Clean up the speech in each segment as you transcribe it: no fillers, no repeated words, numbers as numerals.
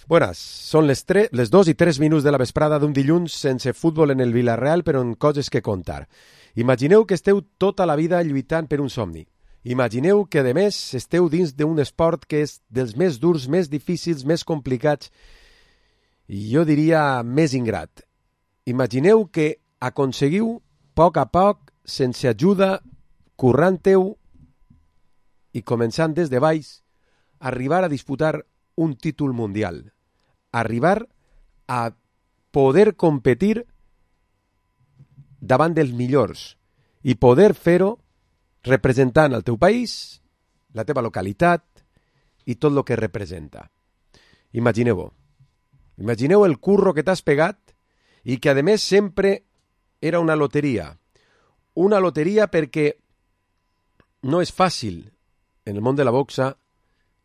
Buenas, són les 2:03 de la vesprada d'un dilluns sense futbol en el Villarreal, però en coses que contar. Imagineu que esteu tota la vida lluitant per un somni. Imagineu que, a més, esteu dins d'un esport que és dels més durs, més difícils, més complicats i jo diria més ingrat. Imagineu que aconseguiu, a poc, sense ajuda, currant-heu i començant des de baix, arribar a disputar un títol mundial. Arribar a poder competir davant dels millors i poder fer-ho representant el teu país, la teva localitat i tot el que representa. Imagineu-ho. Imagineu el curro que t'has pegat i que, a més, sempre era una loteria. Una loteria perquè no és fàcil en el món de la boxa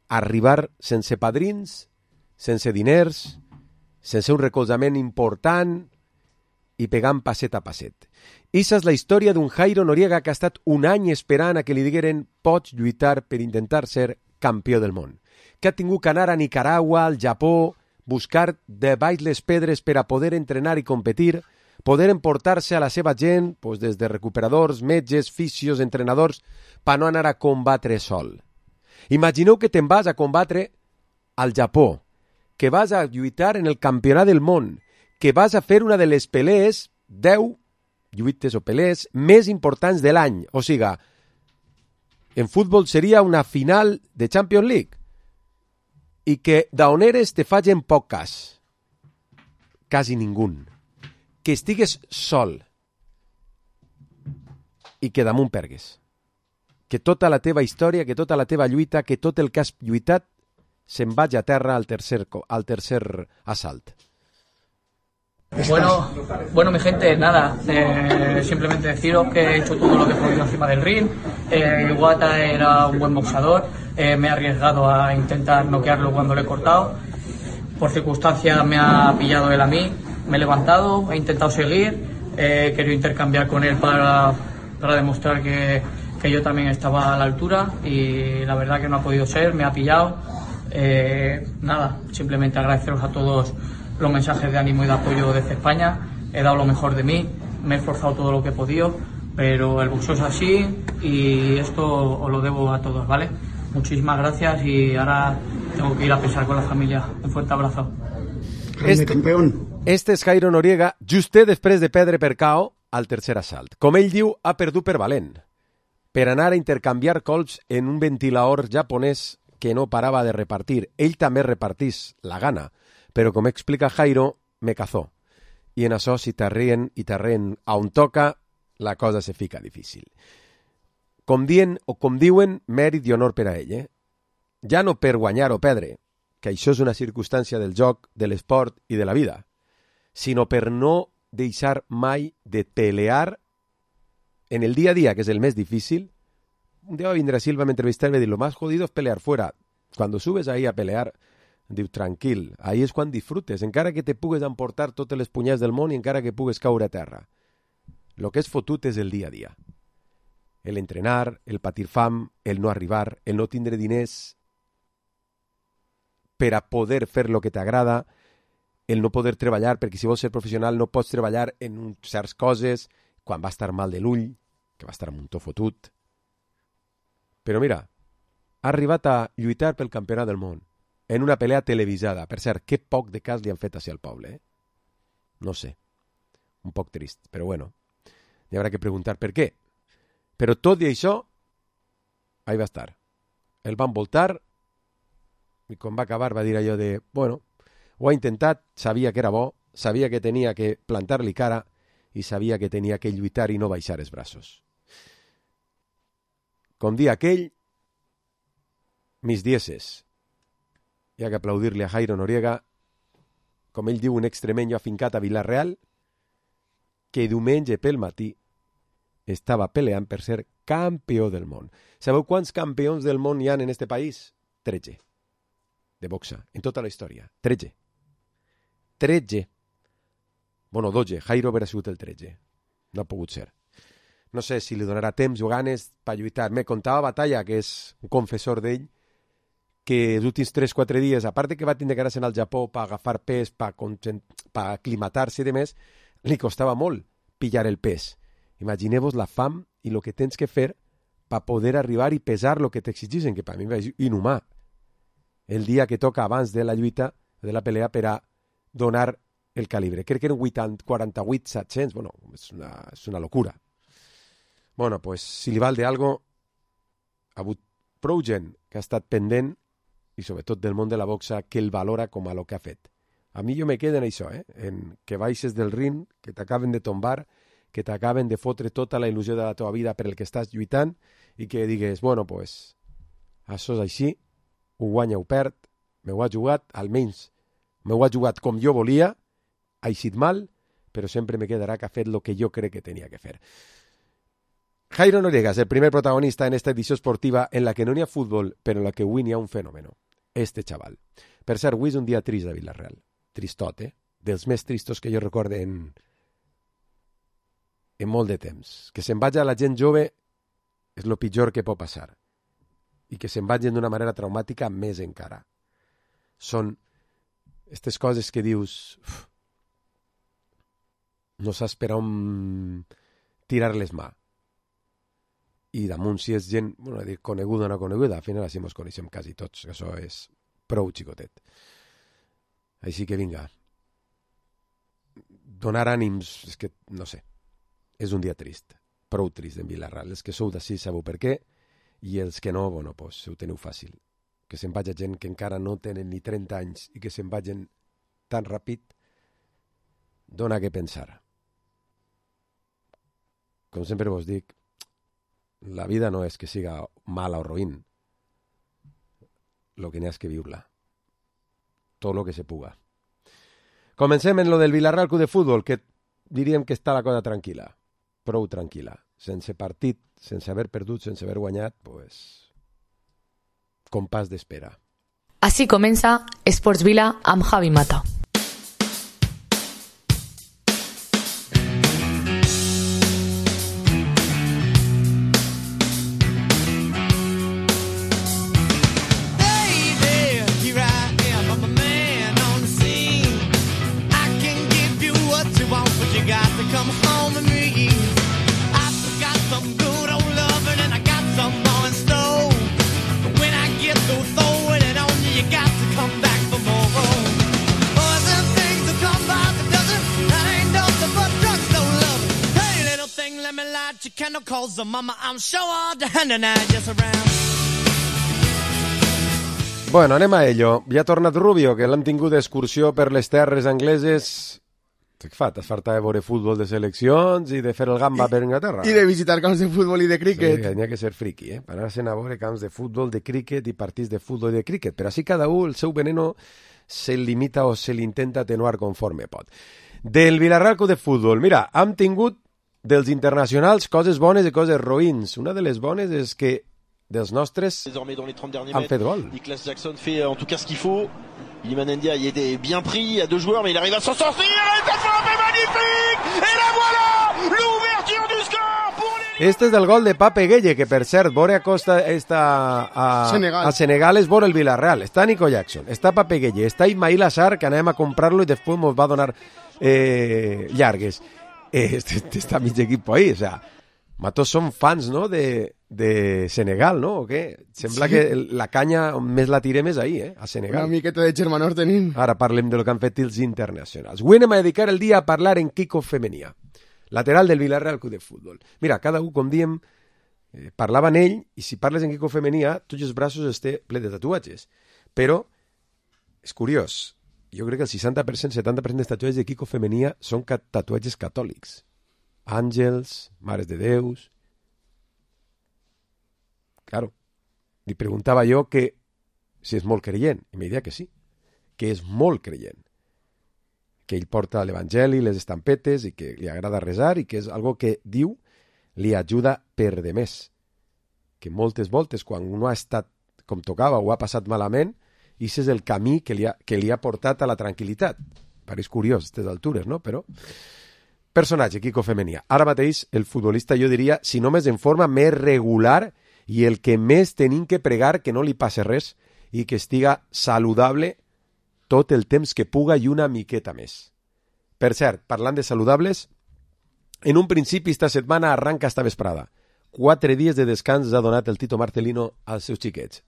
arribar sense padrins, sense diners, sense un recolzament important i pegant passet a passet. Issa és la història d'un Jairo Noriega que ha estat un any esperant a que li digueren pots lluitar per intentar ser campió del món. Que ha tingut que anar a Nicaragua, al Japó, buscar de baix les pedres per a poder entrenar i competir, poder emportar-se a la seva gent, des de recuperadors, metges, fisios, entrenadors, per no anar a combatre sol. Imagineu que te'n vas a combatre al Japó, que vas a lluitar en el campionat del món, que vas a fer una de les pelees, 10 lluites o pelees més importants de l'any. O sigui, en futbol seria una final de Champions League i que d'on eres te facin poc cas. Quasi ningú. Que estigues sol i que damunt pergues. Que tota la teva història, que tota la teva lluita, que tot el que has lluitat se'n vagi a terra al tercer assalt. Bueno, mi gente, nada, simplemente deciros que he hecho todo lo que he podido encima del ring. Iwata era un buen boxeador, me he arriesgado a intentar noquearlo cuando le he cortado. Por circunstancias me ha pillado él a mí, me he levantado, he intentado seguir, he querido intercambiar con él para demostrar que yo también estaba a la altura y la verdad que no ha podido ser, me ha pillado. Nada, simplemente agradeceros a todos los mensajes de ánimo y de apoyo desde España. He dado lo mejor de mí, me he esforzado todo lo que he podido, pero el boxeo es así y esto os lo debo a todos, ¿vale? Muchísimas gracias y ahora tengo que ir a pesar con la familia. Un fuerte abrazo. Este és Jairo Noriega, justet després de perdre per KO al tercer assalt. Com ell diu, ha perdut per valent, per anar a intercanviar colps en un ventilador japonès que no parava de repartir. Ell també repartís la gana, però com explica Jairo, me cazó. I en això, si t'arrien a on toca, la cosa se fica difícil. Com diuen, mèrit i honor per a ell. Ja no per guanyar o perdre, que això és una circumstància del joc, de l'esport i de la vida, sinó per no deixar mai de pelear en el día a día, que es el més difícil. Un día va a vindre a Silva, me entrevistar y me diu, lo más jodido es pelear fuera. Cuando subes ahí a pelear, diu, tranquil, ahí és quan disfrutes, encara que te pugues emportar totes les punyades del món i encara que pugues caure a terra. Lo que és fotut és el dia a dia. El entrenar, el patir fam, el no arribar, el no tindre diners per a poder fer lo que t'agrada, el no poder treballar, perquè si vols ser professional no pots treballar en certes coses, quan va estar mal de l'ull, que va estar amb un to fotut. Però mira, ha arribat a lluitar pel campionat del món, en una pelea televisada. Per cert, que poc de cas li han fet així al poble, No sé, un poc trist, però bueno, hi haurà que preguntar per què. Però tot i això, ahí va estar. El van voltar i quan va acabar va dir allò de, bueno, ho ha intentat, sabia que era bo, sabia que tenia que plantar-li cara i sabia que tenia que lluitar i no baixar els braços. Com dia aquell, mis dieces. Hi ha que aplaudir-li a Jairo Noriega, com ell diu, un extremenyo afincat a Villarreal, que diumenge pel matí estava peleant per ser campió del món. Sabeu quants campions del món hi ha en este país? 13. De boxa, en tota la història. 13. Bueno, 12. Jairo haurà sigut el 13. No ha pogut ser. No sé si li donarà temps o ganes per lluitar. Me contava Batalla, que és un confessor d'ell, que els últims 3-4 dies, a part de que va tindre que anar-se'n al Japó per agafar pes, per aclimatar-se i demés, li costava molt pillar el pes. Imagineu-vos la fam i el que tens que fer per poder arribar i pesar el que t'exigeixen, que per mi és inhumà. El dia que toca abans de la lluita, de la pelea, per a donar el calibre. Crec que eren 48-700. Bueno, és una locura. Bueno, pues, si li val d'algo, ha hagut prou gent que ha estat pendent i sobretot del món de la boxa que el valora com a lo que ha fet. A mi jo me quedo en això, en que baixes del ring, que t'acaben de tombar, que t'acaben de fotre tota la il·lusió de la teva vida per el que estàs lluitant i que digues, bueno, pues, això és així, ho guanya o perd, m'ho ha jugat, almenys m'ho ha jugat com jo volia, ha eixit mal, però sempre me quedarà que ha fet el que jo crec que tenia que fer. Jairo Noriega és el primer protagonista en esta edició esportiva en la que no n'hi ha futbol, però en la que avui n'hi ha un fenòmeno. Este xaval. Per cert, avui és un dia trist de Villarreal. Tristot, dels més tristos que jo recorde en molt de temps. Que se'n vagi a la gent jove és el pitjor que pot passar. I que se'n vagin d'una manera traumàtica més encara. Són aquestes coses que dius no saps per on tirar-les mà. I damunt si és gent, bueno, dir coneguda o no coneguda, al final així ens coneixem quasi tots, que això és prou xicotet. Així que vinga, donar ànims, és que, no sé, és un dia trist, prou trist en Villarreal. Els que sou d'ací sabeu per què, i els que no, bueno, pues, ho teniu fàcil. Que se'n vagi gent que encara no tenen ni 30 anys i que se'n vagin tan ràpid, dona que pensar. Com sempre vos dic, la vida no és que siga mala o roïn. Lo que n'hi ha és que viure-la. Tot lo que se puga. Comencem en lo del Villarreal Club de Futbol, que diríem que està la cosa tranquil·la. Prou tranquil·la. Sense partit, sense haver perdut, sense haver guanyat, pues, compàs d'espera. Així comença Esports Vila amb Javi Mata. Bueno, anem a ello. Ja ha tornat Rubio, que l'hem tingut d'excursió per les terres angleses. Què fa? T'has fartat de veure futbol de seleccions i de fer el gamba per Inglaterra? I de visitar camps de futbol i de críquet. Sí, n'hi ha que ser friqui, per anar-se'n a veure camps de futbol, de críquet i partits de futbol i de críquet. Però així cada un, el seu veneno, se limita o se l'intenta atenuar conforme pot. Del Villarreal Club de Futbol, mira, hem tingut dels internacionals coses bones i coses roïns. Una de les bones és que dels nostres han fet gol. Nicolas Jackson fait en tout cas ce qu'il faut. Iliman Ndiaye était bien pris à deux joueurs, mais il arrive à s'en sortir. Et cette frappe est magnifique. Et la voilà, l'ouverture du score pour les... Este és el gol de Pape Gueye, que per cert, vore a costa a Senegal és vore el Villarreal. Està Nico Jackson, està Pape Gueye, està Ismail Assar, que anem a comprar-lo i després ens va donar llargues. Està mig equip ahí, o sea, tots som fans, no?, de Senegal, no?, o què? Sembla que la canya més la tirem és ahí, a Senegal. Una miqueta de germanor tenim. Ara parlem de lo que han fet els internacionals. Avui anem a dedicar el dia a parlar en Kiko Femenia, lateral del Villarreal Club de Futbol. Mira, cada un, com diem, parlava en ell, i si parles en Kiko Femenia, tots els braços estan ple de tatuatges. Però, és curiós, jo crec que el 60%, 70% dels tatuatges de Kiko Femenia són tatuatges catòlics. Àngels, mares de Déus... Claro, li preguntava jo que si és molt creient, i m'he dit que sí, que és molt creient, que ell porta l'Evangeli, les estampetes, i que li agrada resar, i que és algo que diu li ajuda per de més. Que moltes voltes, quan uno ha estat com tocava o ha passat malament, i és el camí que li ha portat a la tranquil·litat. Pareix curiós, a aquestes altures, no? Però... personatge, Kiko Femenia. Ara mateix, el futbolista, jo diria, si no més en forma més regular i el que més tenim que pregar que no li passe res i que estiga saludable tot el temps que puga i una miqueta més. Per cert, parlant de saludables, en un principi esta setmana arranca esta vesprada. 4 dies de descans ha donat el Tito Marcelino als seus xiquets.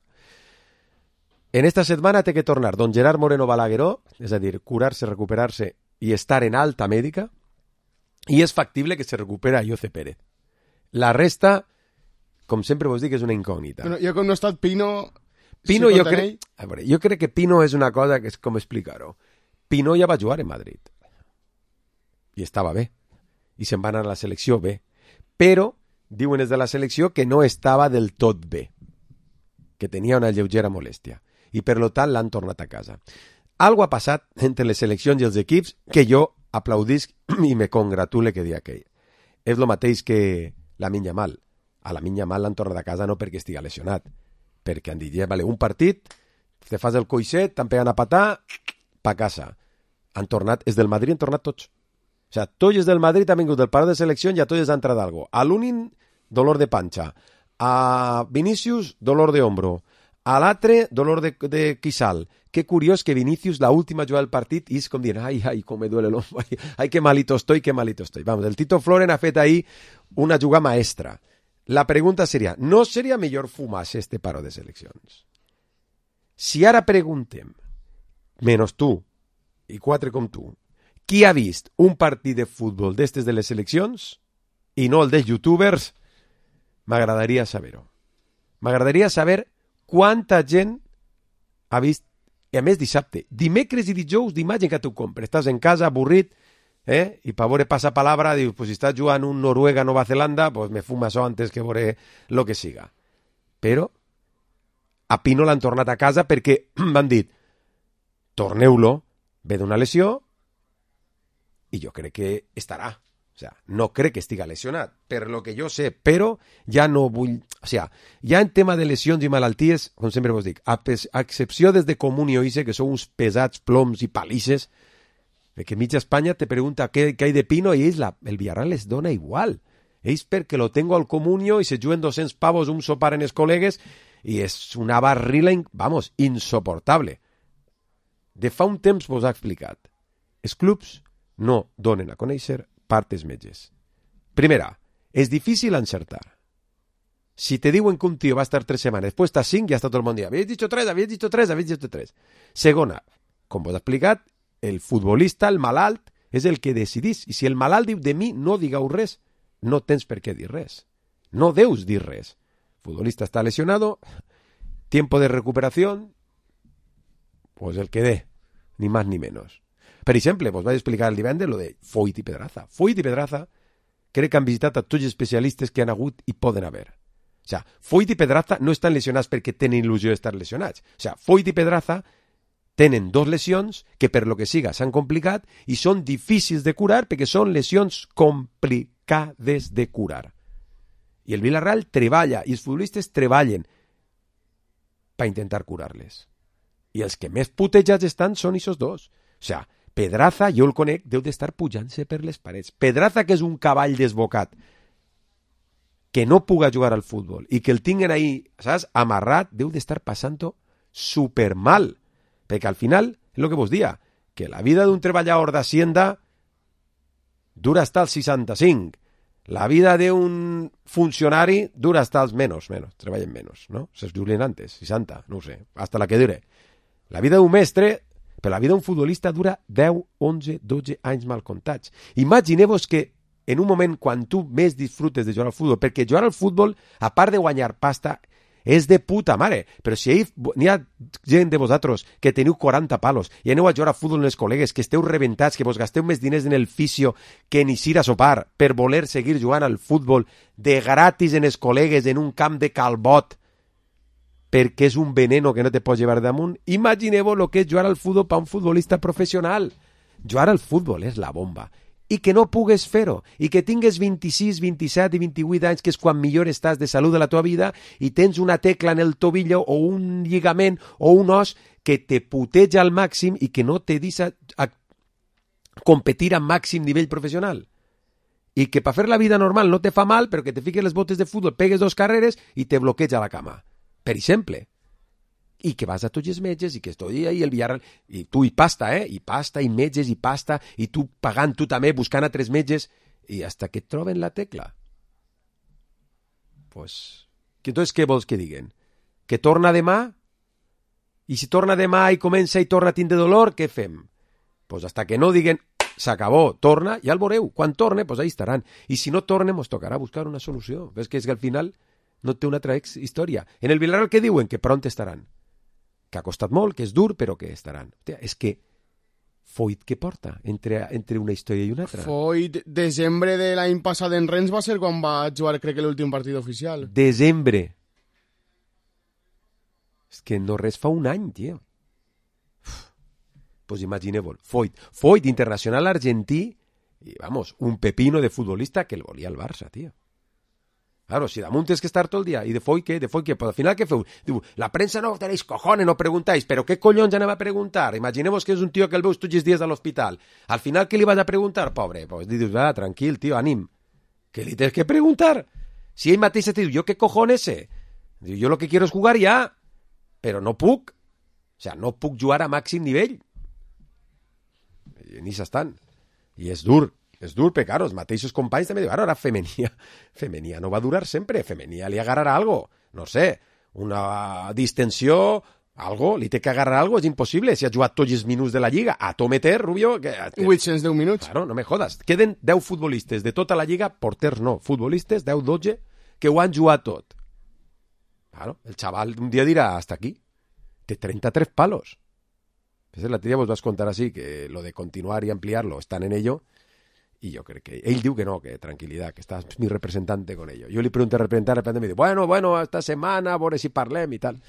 En esta setmana té que tornar don Gerard Moreno Balagueró, és a dir, curar-se, recuperar-se i estar en alta mèdica, i és factible que se recupera Ayoce Pérez. La resta, com sempre vos dic, és una incògnita. Bueno, jo com no ha estat Pino... Pino, jo crec que Pino és una cosa que és com explicar-ho. Pino ja va jugar en Madrid. I estava bé. I se'n va anar a la selecció bé. Però diuen des de la selecció que no estava del tot bé. Que tenia una lleugera molèstia. I per lo tant l'han tornat a casa. Algo ha passat entre les seleccions i els equips que jo aplaudisc i me congratule que dia aquell. És el mateix que Lamine Yamal. A Lamine Yamal l'han tornat a casa no perquè estigui lesionat, perquè han dit, vale, un partit, te fas el coixet, t'han pegat a patar, pa casa. Han tornat, és del Madrid han tornat tots. O sea, tots els del Madrid han vingut del paró de selecció i a tots ha entrat algo. A l'Unin, dolor de panxa. A Vinícius, dolor de hombro. A l'altre, dolor de quissal. Qué curiós que Vinícius, la última jugada del partit, és com dient, ai, com me duele l'hombro, ai, que malito estoy. Vamos, el Tito Floren ha fet ahí una jugada maestra. La pregunta seria, no seria millor fumar-se este paro de seleccions? Si ara preguntem, menys tu, i 4 com tu, qui ha vist un partit de futbol d'estes de les seleccions, i no el dels youtubers, m'agradaria saber-ho. M'agradaria saber quanta gent ha vist, i a més dissabte, dimecres i dijous d'imatge que tu compres, estàs en casa avorrit, i per veure passapalabra, dius, pues si estàs jugant un Noruega-Nova Zelanda, pues me fuma això antes que veure lo que siga. Però a Pino l'han tornat a casa perquè m'han dit, torneu-lo, ve d'una lesió, i jo crec que estarà. O sea, no crec que estiga lesionat, per lo que jo sé, però ja no vull... O sea, ja en tema de lesions i malalties, com sempre vos dic, a excepció des de Comunio Ise, que són uns pesats ploms i palisses, que mitja Espanya te pregunta què hay de Pino i ells el Villarreal les dona igual. Ells perquè lo tengo al Comunio i se juguen 200 pavos un sopar en els col·legues i és una barrila, vamos, insoportable. De fa un temps vos ha explicat. Els clubs no donen a conèixer partes metges. Primera, és difícil encertar. Si te diuen que un tío va a estar 3 setmanes, després està 5, ja està tot el món dient, habéis dicho 3. Segona, com vos ha explicat, el futbolista, el malalt, és el que decidís. I si el malalt diu de mi, no digueu res, no tens per què dir res. No deus dir res. El futbolista està lesionado, tiempo de recuperación, pues el que dé, ni más ni menos. Per exemple, vos vaig explicar el divendres lo de Foyt i Pedraza. Foyt i Pedraza crec que han visitat a tots els especialistes que han hagut i poden haver. O sea, Foyt i Pedraza no estan lesionats perquè tenen il·lusió d'estar lesionats. O sea, Foyt i Pedraza tenen 2 lesions que per lo que siga s'han complicat i són difícils de curar perquè són lesions complicades de curar. I el Villarreal treballa i els futbolistes treballen per intentar curar-les. I els que més putejats estan són aquests 2. O sea, Pedraza, jo el conec, deu d'estar pujant-se per les parets. Pedraza, que és un cavall desbocat, que no puga jugar al futbol i que el tinguen ahí, saps, amarrat, deu d'estar passant-ho supermal. Perquè al final, és el que vos dia, que la vida d'un treballador d'Hacienda dura hasta els 65. La vida d'un funcionari dura hasta els menos, treballen menos, ¿no? Se jubilen antes, 60, no ho sé, hasta la que dure. La vida d'un mestre, però la vida d'un futbolista dura 10, 11, 12 anys mal comptats. Imagineu-vos que en un moment quan tu més disfrutes de jugar al futbol, perquè jugar al futbol, a part de guanyar pasta, és de puta mare, però si n'hi ha gent de vosaltres que teniu 40 palos i aneu a jugar a futbol amb els col·legues, que esteu rebentats, que vos gasteu més diners en el fisio que en ir a sopar per voler seguir jugant al futbol de gratis en els col·legues en un camp de Calbot perquè és un veneno que no te pots llevar damunt, imagineu el que és jugar al futbol per un futbolista professional. Jugar al futbol és la bomba. I que no pugues fer-ho, i que tingues 26, 27 i 28 anys, que és quan millor estàs de salut de la teva vida, i tens una tecla en el tobillo o un lligament o un os que te puteja al màxim i que no te deixa a competir a màxim nivell professional. I que per fer la vida normal no te fa mal, però que te fiques les botes de futbol, pegues 2 carreres i te bloqueja la cama. Per exemple. i que vas a tots els metges i que estoy ahí el Villarreal, i tu i pasta, i metges i pasta, i tu pagant tu també, buscant a 3 metges, i hasta que et troben la tecla. Pues, entonces què vols que diguen? Que torna demà? I si torna demà i comença i torna a tindre dolor, què fem? Pues hasta que no diguen s'acabó, torna, ja el veureu. Quan torne, pues ahí estaran. I si no torne, ens tocarà buscar una solució. Ves que és que al final no té una altra història. En el Villarreal què diuen? Que pront estaran. Que ha costat molt, que és dur, però que estaran. Hòstia, és que Foyt què porta entre una història i una altra? Foyt, desembre de l'any passat en Rennes va ser quan va jugar, crec que l'últim partit oficial. Desembre. És que no res fa un any, tio. Pues imagineu-vos. Foyt, internacional argentí, i vamos, un pepino de futbolista que el volia al Barça, tio. Claro, si damunt tens que estar tot el dia. I de Foyt què? Pues al final què feu? Diu, la premsa no tenéis cojones, no preguntáis. Però què collons anem a preguntar? Imagineu-vos que és un tio que el veus tots els dies a l'hospital. Al final què li vas a preguntar, pobre? Pues dius, tranquil, tio, ànim. Què li tens que preguntar? Si ell mateix te diu, jo què cojones sé? Diu, jo lo que quiero es jugar ya. Però no puc. O sea, no puc jugar a màxim nivell. I ni s'estan. I és dur, perquè, claro, els mateixos companys també diuen, ara Femenia no va durar sempre, Femenia li agarrarà algo, no sé, una distensió, algo, li té que agarrar algo, és impossible, si ha jugat tots els minuts de la Lliga, a to meter, Rubio... 810 minuts. Claro, no me jodas. Queden 10 futbolistes de tota la Lliga, porters no, futbolistes, 10-12, que ho han jugat tot. Claro, el xaval un dia dirà, hasta aquí, té 33 palos. La tía vos vas a contar así, que lo de continuar y ampliarlo están en ello, y yo creo que él diu que no, que tranquilidad, que estás mi representante con ello. Yo le pregunté al representante, me diu, bueno, esta setmana, a veure si parlem i tal.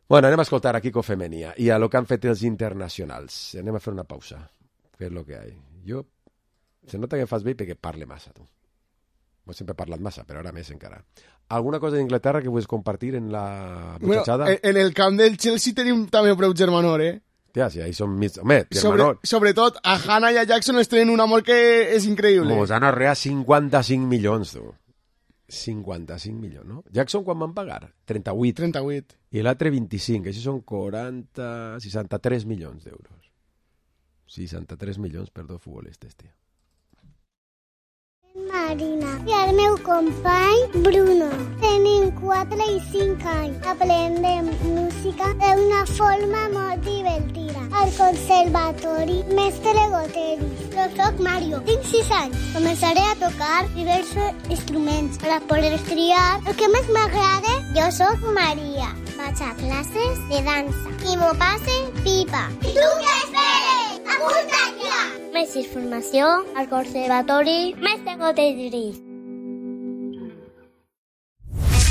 Bueno, anem a escoltar aquí con Femenia i a lo que han fet els internacionals. Anem a fer una pausa, que és lo que hay. Jo, se nota que fas bé perquè parle massa, tu. Ho he sempre parlat massa, però ara més encara. Alguna cosa d'Inglaterra que vull compartir en la muchachada? Bueno, en el camp del Chelsea tenim també prou germanor, Hòstia, si ahí són mig... Home, germanor... Sobretot, a Hannah i a Jackson es tenen un amor que és increïble. Mos han arreat 55 milions, tu. 55 milions, no? Jackson quan van pagar? 38. I l'altre 25. Això són 63 milions d'euros. 63 milions per dos futbolistes, tia. Marina i el meu company Bruno. Tenim 4 i 5 anys. Aprendem música d'una forma molt divertida. Al conservatori Mestre Goteri. Jo soc Mario. Tinc 6 anys. Començaré a tocar diversos instruments per a poder triar el que més m'agrada. Jo soc Maria. Vaig a classes de dansa. I m'ho passe pipa. I tu què esperes? Apunta't ja! Més informació al conservatori Mestre Goteri.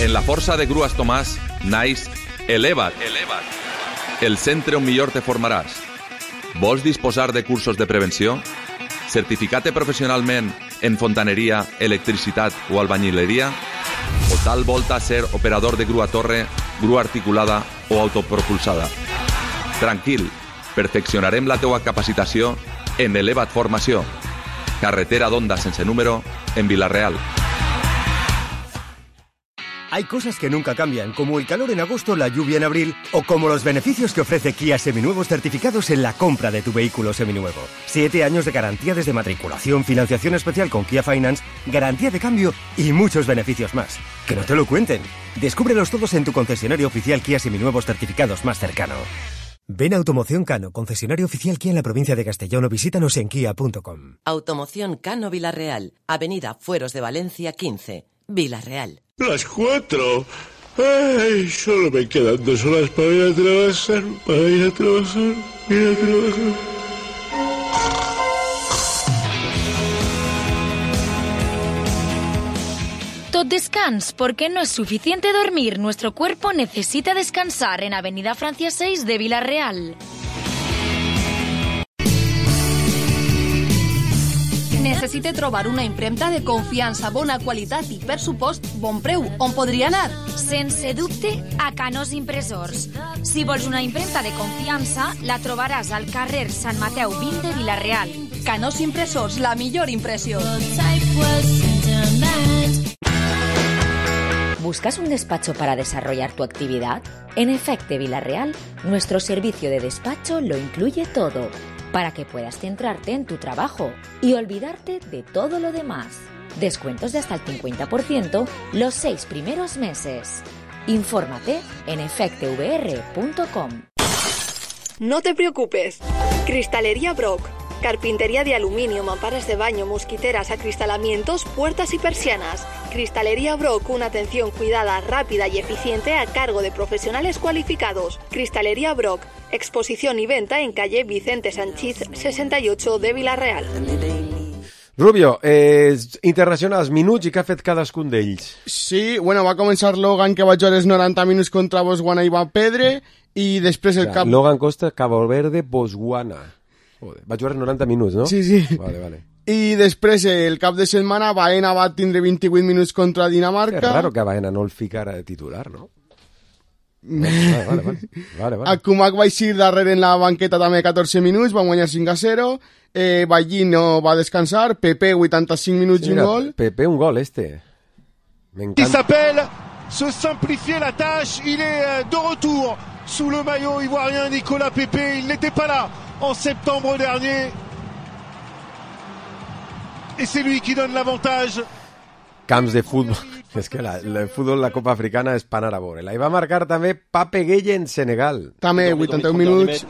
En la força de Grues Tomàs naix Eleva't, el centre on millor te formaràs. Vols disposar de cursos de prevenció? Certificar-te professionalment en fontaneria, electricitat o albañileria? O tal volta ser operador de grua torre, grua articulada o autopropulsada? Tranquil, perfeccionarem la teua capacitació en Eleva't Formació. Carretera d'Onda sense número en Vila-real. Hay cosas que nunca cambian, como el calor en agosto, la lluvia en abril, o como los beneficios que ofrece Kia Seminuevos certificados en la compra de tu vehículo seminuevo. 7 años de garantía desde matriculación, financiación especial con Kia Finance, garantía de cambio y muchos beneficios más. Que no te lo cuenten. Descúbrelos todos en tu concesionario oficial Kia Seminuevos certificados más cercano. Ven a Automoción Cano, concesionario oficial Kia en la provincia de Castellón, o visítanos en kia.com. Automoción Cano Vila-real, Avenida Fueros de Valencia 15, Vila-real. Las 4. Ay, solo me quedan 2 horas para ir a trabajar. Tot descans, porque no es suficiente dormir. Nuestro cuerpo necesita descansar en Avenida Francia 6 de Vila-real. Necessite trobar una impremta de confiança, bona qualitat i, per supost, bon preu. On podria anar? Sense dubte, a Canós Impressors. Si vols una impremta de confiança, la trobaràs al carrer Sant Mateu 20 de Vila-real. Canós Impressors, la millor impressió. ¿Buscas un despacho para desarrollar tu actividad? En Efecte Villarreal, nuestro servicio de despacho lo incluye todo, para que puedas centrarte en tu trabajo y olvidarte de todo lo demás. Descuentos de hasta el 50% los 6 primeros meses. Infórmate en efectevr.com. No te preocupes. Cristalería Brock. Carpintería de aluminio, mamparas de baño, mosquiteras, acristalamientos, puertas y persianas. Cristalería Brock, una atención cuidada, rápida y eficiente a cargo de profesionales cualificados. Cristalería Brock, exposición y venta en calle Vicente Sanchís 68 de Vila-real. Rubio, internacionals, minuts i què ha fet cadascun d'ells? Sí, bueno, va començar Logan, que va jugar els 90 minuts contra Botswana i va perdre, i després el cap... Logan Costa, Cabo Verde, Botswana. Joder, va jugar els 90 minuts, no? Sí, sí. Vale. I després, el cap de setmana, Baena va tindre 28 minuts contra Dinamarca. És raro que Baena no el ficara de titular, no? Vale. Akumak va eixir darrere en la banqueta també 14 minuts, va guanyar 5-0. Ballín no va descansar. Pepe 85 minuts i un gol. Pepe un gol Il s'appelle se simplifier la tâche. Il est de retour sous le maillot ivoirien Nicolas Pepe. Il n'était pas là en septembre dernier. Et c'est lui qui donne l'avantage. Camps de futbol. És que el futbol, la Copa Africana és pan a la vora. I va marcar també Pape Gueye en Senegal. També 81 minuts.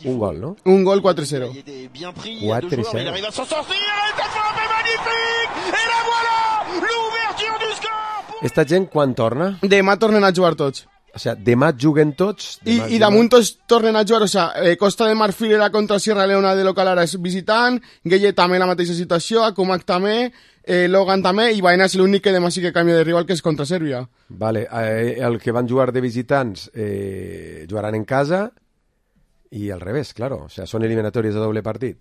Un gol, no? Un gol 4-0. 4-0. Il arrive à s'en sortir. Cette frappe est magnifique. Et la voilà, l'ouverture du score. Esta gent quan torna? Demà tornen a jugar tots. O sea, demà juguen tots. I damunt tots tornen a jugar. O sea, Costa de Marfil era contra Sierra Leona de local, ara és visitant. Gueye també la mateixa situació. Akumak també. Logan també, i Baena és l'únic que demà sí que canvia de rival, que és contra Sèrbia. Vale, el que van jugar de visitants jugaran en casa i al revés, claro, o sea, són eliminatòries de doble partit.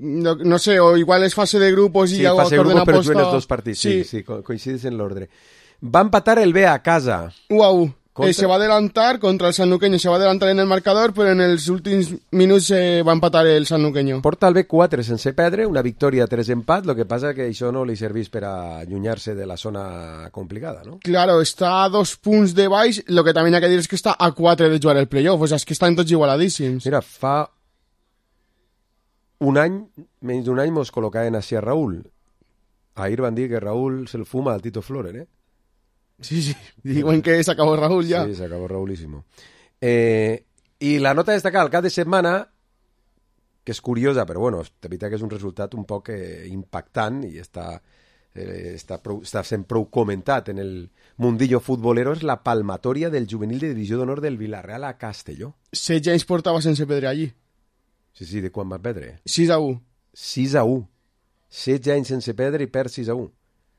No sé, o igual és fase de grupos i sí, fase de grupos, però juguen els dos partits, sí, coincideix en l'ordre. Va empatar el B a casa. Uau. Se va adelantar contra el sanluqueño, se va adelantar en el marcador, però en els últims minuts va empatar el sanluqueño. Porta el B4 sense perdre, una victòria, 3 empat, lo que passa que això no li serveix per a allunyar-se de la zona complicada, no? Claro, està a 2 punts de baix, lo que també hi ha que dir és que està a 4 de jugar el playoff, o sea, és que estan tots igualadíssims. Mira, fa un any, menys d'un any, mos col·locaven així a Raúl. Ahir van dir que Raúl se'l fuma al Tito Floren, ¿eh? Sí, diuen que se acabó Raúl ya. Sí, se acabó Raúlísimo. I la nota a destacar al cap de setmana, que és curiosa, però bueno, de veritat que és un resultat un poc impactant i està sent prou comentat en el mundillo futbolero, és la palmatòria del juvenil de divisió d'honor del Villarreal a Castelló. 16 anys portava sense perdre allí. Sí, de quan va perdre? 6-1. 6-1. 16 anys sense perdre i perd 6-1.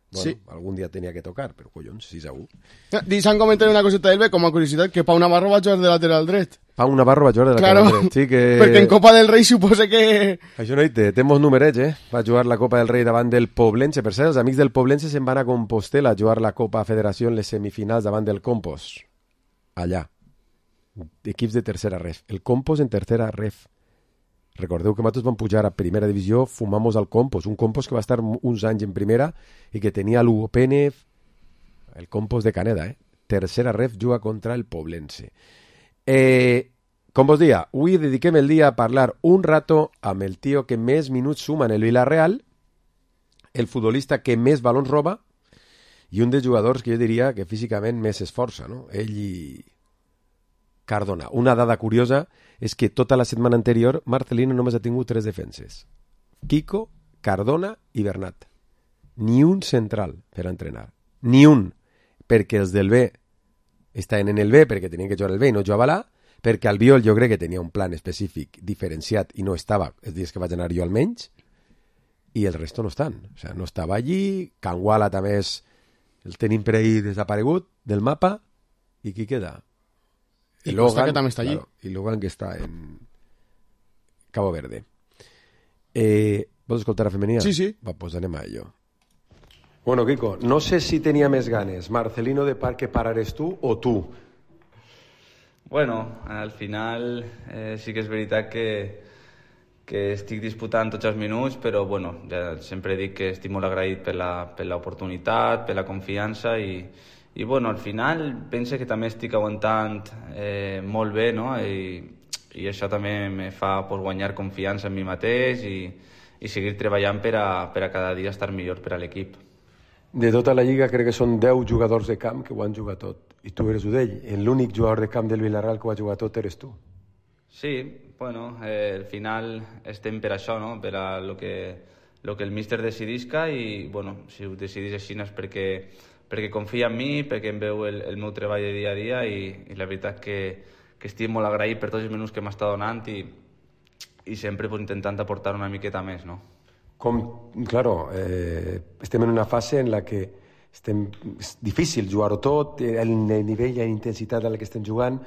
Bueno, sí. Algun dia tenia que tocar, però collons, 6-1. Deixa'm comentar una coseta del B, com a curiositat, que Pau Navarro va jugar de lateral dret. Pau Navarro va jugar de lateral dret, sí que... Perquè en Copa del Rei suposa que... Això no hi té, temos numerets, Va jugar la Copa del Rei davant del Poblense. Per cert, els amics del Poblense se'n van a Compostela a jugar la Copa Federació en les semifinals davant del Compos. Allà. Equips de tercera ref. El Compos en tercera ref. Recordeu que nosaltres vam pujar a primera divisió, fumamos al Compos, un Compos que va estar uns anys en primera i que tenia l'Hugo Pérez, el Compos de Caneda, Tercera ref juga contra el Poblense. Com vos dia, avui dediquem el dia a parlar un rato amb el tio que més minuts suma en el Villarreal, el futbolista que més balons roba i un dels jugadors que jo diria que físicament més s'esforça, no? Ell i Cardona. Una dada curiosa és que tota la setmana anterior Marcelino només ha tingut 3 defenses. Kiko, Cardona i Bernat. Ni un central per a entrenar. Ni un. Perquè els del B estaven en el B perquè tenien que jugar el B i no jugava l'A, perquè Albiol jo crec que tenia un plan específic diferenciat i no estava els dies que vaig anar jo almenys, i el resto no estan. O sea, no estava allí, Canguala també és el tenim per ahí desaparegut del mapa, i qui queda? Y Logan, que també està allí. Claro, y Logan que està en Cabo Verde. ¿Vols escoltar a femenina? Sí, sí. Va, pues anem a ello. Bueno, Kiko, no sé si tenía més ganes Marcelino de que parares tú o tú. Bueno, al final sí que és veritat estic disputant tots els minuts, però bueno, ja sempre dic que estic molt agraït per l'oportunitat, per la confiança i bueno, al final penso que també estic aguantant molt bé, no? I això també me fa guanyar confiança en mi mateix i seguir treballant per a cada dia estar millor per a l'equip. De tota la lliga crec que són 10 jugadors de camp que ho han jugat tot i tu eres un d'ell. L'únic jugador de camp del Villarreal que ho ha jugat tot eres tu. Sí, bueno, al final estem per això, no? Per a lo que el míster decidisca i, bueno, si ho decidís així és perquè confia en mi, perquè em veu el meu treball de dia a dia i la veritat que estic molt agraït per tots els minuts que m'està donant i sempre intentant aportar una miqueta més, no? Claro, estem en una fase en la que és difícil jugar-ho tot, el nivell i la intensitat a la que estem jugant,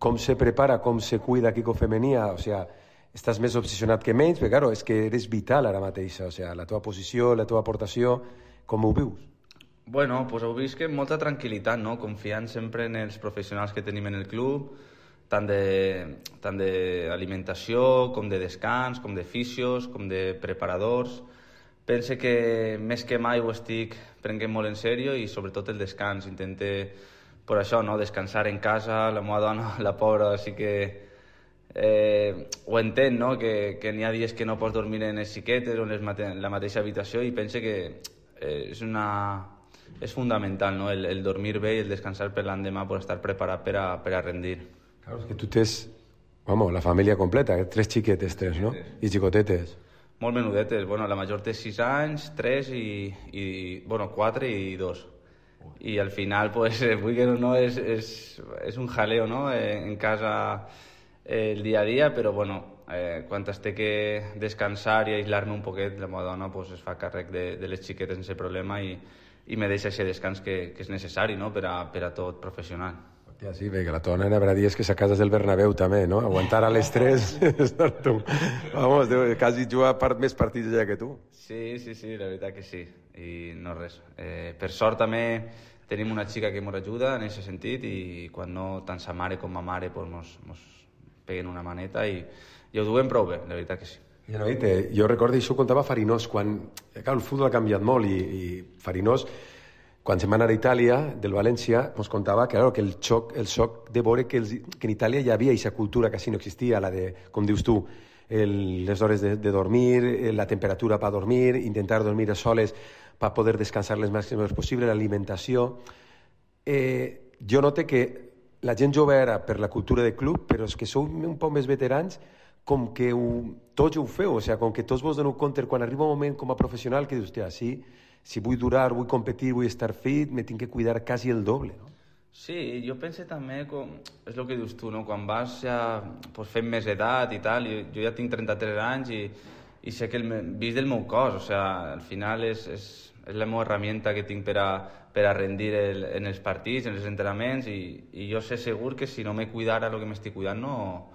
com se prepara, com se cuida Kiko Femenia, o sea, estàs més obsessionat que menys, però claro, és que eres vital ara mateix, o sea, la teva posició, la teva aportació, com ho vius? Bueno, pues ho visc amb molta tranquil·litat, no? Confiant sempre en els professionals que tenim en el club, tant d'alimentació, com de descans, com de fisios, com de preparadors. Pense que més que mai ho estic prenent molt en sèrio i sobretot el descans. Intente, per això, no? Descansar en casa, la meva dona, la pobra, sí que ho entén, no? Que n'hi ha dies que no pots dormir en les xiquetes o en la mateixa habitació i pense que és fundamental, no? El dormir bé i el descansar per l'endemà per estar preparat per a rendir. Claro, es que tú tienes, vamos, la familia completa, 3 xiquetes, 3, ¿no? I xicotetes. Molt menudetes, bueno, la major té 6 anys, 3 bueno, 4 i 2. I al final, pues, vull que no, és un jaleo, no? En casa el dia a dia, però bueno, quan es té que descansar i aïslar-me un poquet, la meva dona pues, es fa càrrec de les xiquetes sense problema i me deixa aquest descans que és necessari, no? per a tot professional. Hòstia, sí, perquè la teva nena haurà dies que s'acases del Bernabéu també, no? Aguantar a l'estrès, estar tu. Vamos, quasi jugar més partits allà que tu. Sí, la veritat que sí. I no res. Per sort també tenim una xica que ens ajuda en aquest sentit i quan no tant sa mare com ma mare pues, mos peguen una maneta i ho duem prou bé, la veritat que sí. Ja no, jo recordo, això ho contava Farinós, quan el futbol ha canviat molt i Farinós, quan se'n va anar a Itàlia, del València, ens contava que el xoc de veure que en Itàlia hi havia aquesta cultura que així no existia, la de, com dius tu, les hores de dormir, la temperatura per dormir, intentar dormir a soles per poder descansar les màximes possible, l'alimentació. Jo noto que la gent jove era per la cultura de club, però és que sou un poc més veterans, com que tots ho feu, o sigui, com que tots vos doneu compte quan arriba un moment com a professional que dius, hòstia, si vull durar, vull competir, vull estar fit, me tinc que cuidar quasi el doble, no? Sí, jo penso també, és el que dius tu, no? Quan vas ja fent més edat i tal, jo ja tinc 33 anys i sé que vist del meu cos, o sigui, al final és la meva herramienta que tinc per a rendir en els partits, en els entrenaments i jo sé segur que si no me cuidara el que m'estic cuidant no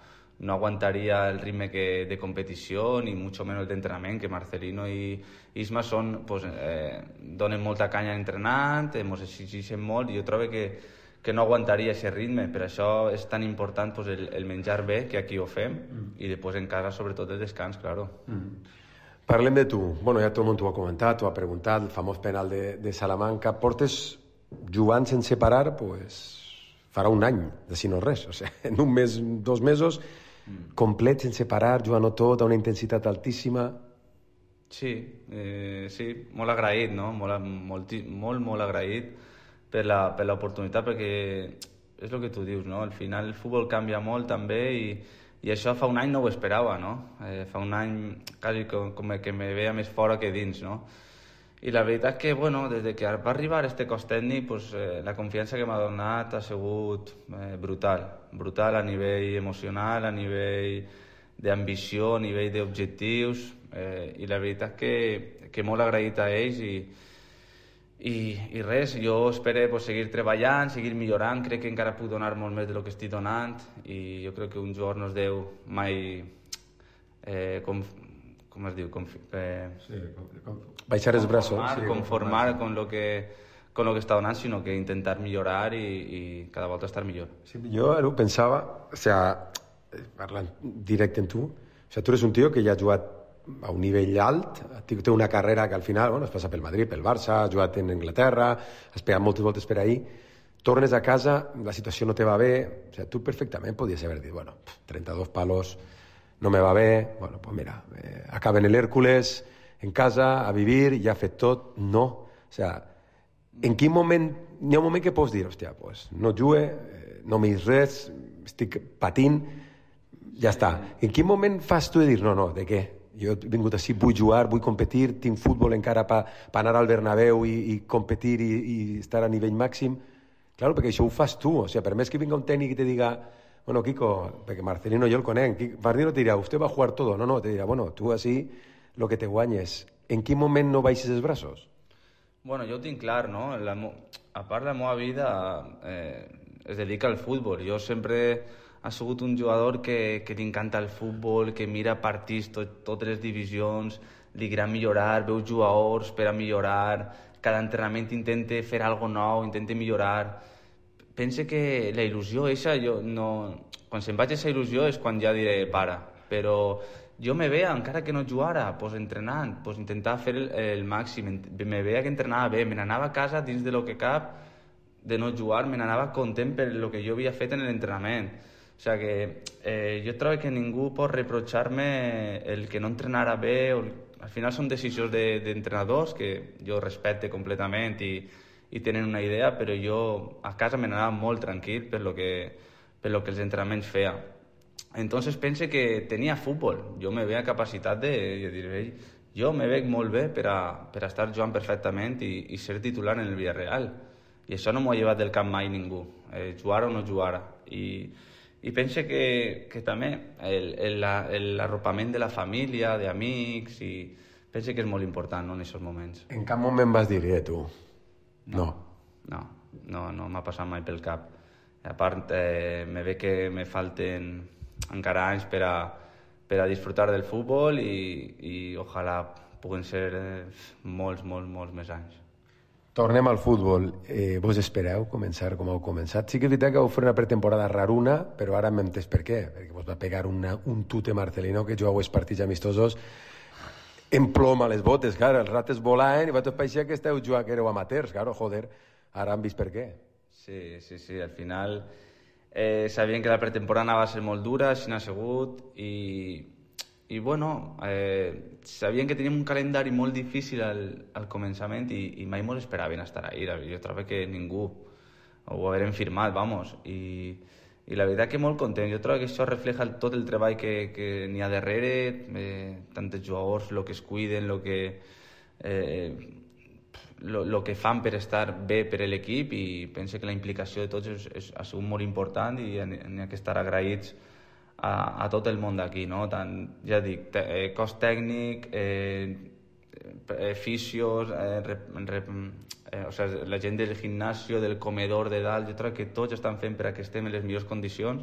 aguantaria el ritme de competició ni mucho menos d'entrenament, que Marcelino i Isma donen molta canya entrenant, ens exigeixen molt i jo trobo que no aguantaria aquest ritme, per això és tan important el menjar bé, que aquí ho fem, i després en casa sobretot el descans, claro. Parlem de tu. Bueno, ja tot el món t'ho ha comentat, t'ho ha preguntat, el famós penal de Salamanca. Portes jugant sense parar, farà un any, de si no res. O sigui, en un mes, 2 mesos, complet, sense parar, jugant tot, a una intensitat altíssima. Sí, molt agraït, no? Molt agraït per l'oportunitat, perquè és el que tu dius, no? Al final el futbol canvia molt també i això fa un any no ho esperava, no? Fa un any quasi com que me veia més fora que dins, no? I la veritat és que, bueno, des que va arribar este cos tècnic, la confiança que m'ha donat ha sigut brutal a nivell emocional, a nivell d'ambició, a nivell d'objectius, i la veritat és que molt agraït a ells i res, jo espero seguir treballant, seguir millorant, crec que encara puc donar molt més del que estic donant i jo crec que un jugador no es deu mai com es diu? Baixar els braços. Conformar con lo que està donant, sinó que intentar millorar i cada volta estar millor. Sí, jo ara ho pensava, o sigui, parlant directe amb tu, O sigui, tu eres un tio que ja ha jugat a un nivell alt, té una carrera que al final, bueno, has passat pel Madrid, pel Barça, has jugat en Anglaterra, has pegat moltes voltes per ahí, tornes a casa, la situació no te va bé, o sigui, tu perfectament podies haver dit, bueno, 32 palos, no me va bé, bueno, pues mira, acaba en el Hércules, en casa, a vivir, ja ha fet tot, no. O sigui, en quin moment, hi ha un moment que pots dir, hòstia, pues no jugue, no m'hi res, estic patint, ja està. En quin moment fas tu de dir, no, de què? Jo he vingut així, vull jugar, vull competir, tinc futbol encara per anar al Bernabéu i competir i estar a nivell màxim. Claro, perquè això ho fas tu. O sigui, per més que vinga un tècnic i te diga, bueno, Kiko, perquè Marcelino jo el conec, Marcelino te dirà, usted va a jugar todo. No, te dirà, bueno, tu així, lo que te guanyes. En quin moment no baixes els braços? Bueno, jo ho tinc clar, no? A part, la meva vida es dedica al futbol. Jo sempre ha sigut un jugador que li encanta el futbol, que mira partits, totes les divisions, li agrada millorar, veu jugadors per a millorar, cada entrenament intenta fer alguna nou, intenta millorar. Pense que la il·lusió eixa, quan se'n vaig a aquesta il·lusió és quan ja diré para, però jo me veia, encara que no jugara, pues entrenant, pues intentar fer el màxim, me veia que entrenava bé, me n'anava a casa dins de lo que cap de no jugar, me n'anava content per lo que jo havia fet en l'entrenament. O sigui que jo trobo que ningú pot reprochar-me el que no entrenara bé, al final són decisions d'entrenadors que jo respecte completament i tenen una idea, però jo a casa me n'anava molt tranquil per lo que els entrenaments feia. Entonces pense que tenia futbol, jo me veia capacitat de dir, jo me veig molt bé per a estar jugant perfectament i ser titular en el Villarreal. I això no m'ho ha llevat del camp mai ningú, jugar o no jugar. I pense que també l'arropament de la família, d'amics, i pense que és molt important, no, en aquests moments. En cap moment vas dir, tu? No. No m'ha passat mai pel cap. A part, me ve que me falten encara anys per a disfrutar del futbol i ojalà puguen ser molts més anys. Tornem al futbol. Vos espereu començar com heu començat? Sí que és veritat que vau fer una pretemporada raruna, però ara m'hem entès per què. Perquè vos va pegar un tute Marcelino que jugau els partits amistosos en plom a les botes, clar, els rates volaven i va tot paixer que esteu jugant, que éreu amateurs, clar, joder, ara han vist per què. Sí, al final sabien que la pretemporada va ser molt dura, així n'ha sigut, i bueno, sabien que teníem un calendari molt difícil al començament i mai mos esperaven estar ahí. Jo trobo que ningú ho hagueren firmat, vamos, i la veritat que molt content. Jo trobo que això refleja tot el treball que n'hi ha darrere, tant els jugadors, el que es cuiden, el que fan per estar bé per a l'equip, i penso que la implicació de tots ha sigut molt important i n'hi ha que estar agraïts a tot el món d'aquí, no? Tant, ja dic, cos tècnic, fisios, o sigui, la gent del gimnasio, del comedor de dalt, jo crec que tots estan fent per a que estem en les millors condicions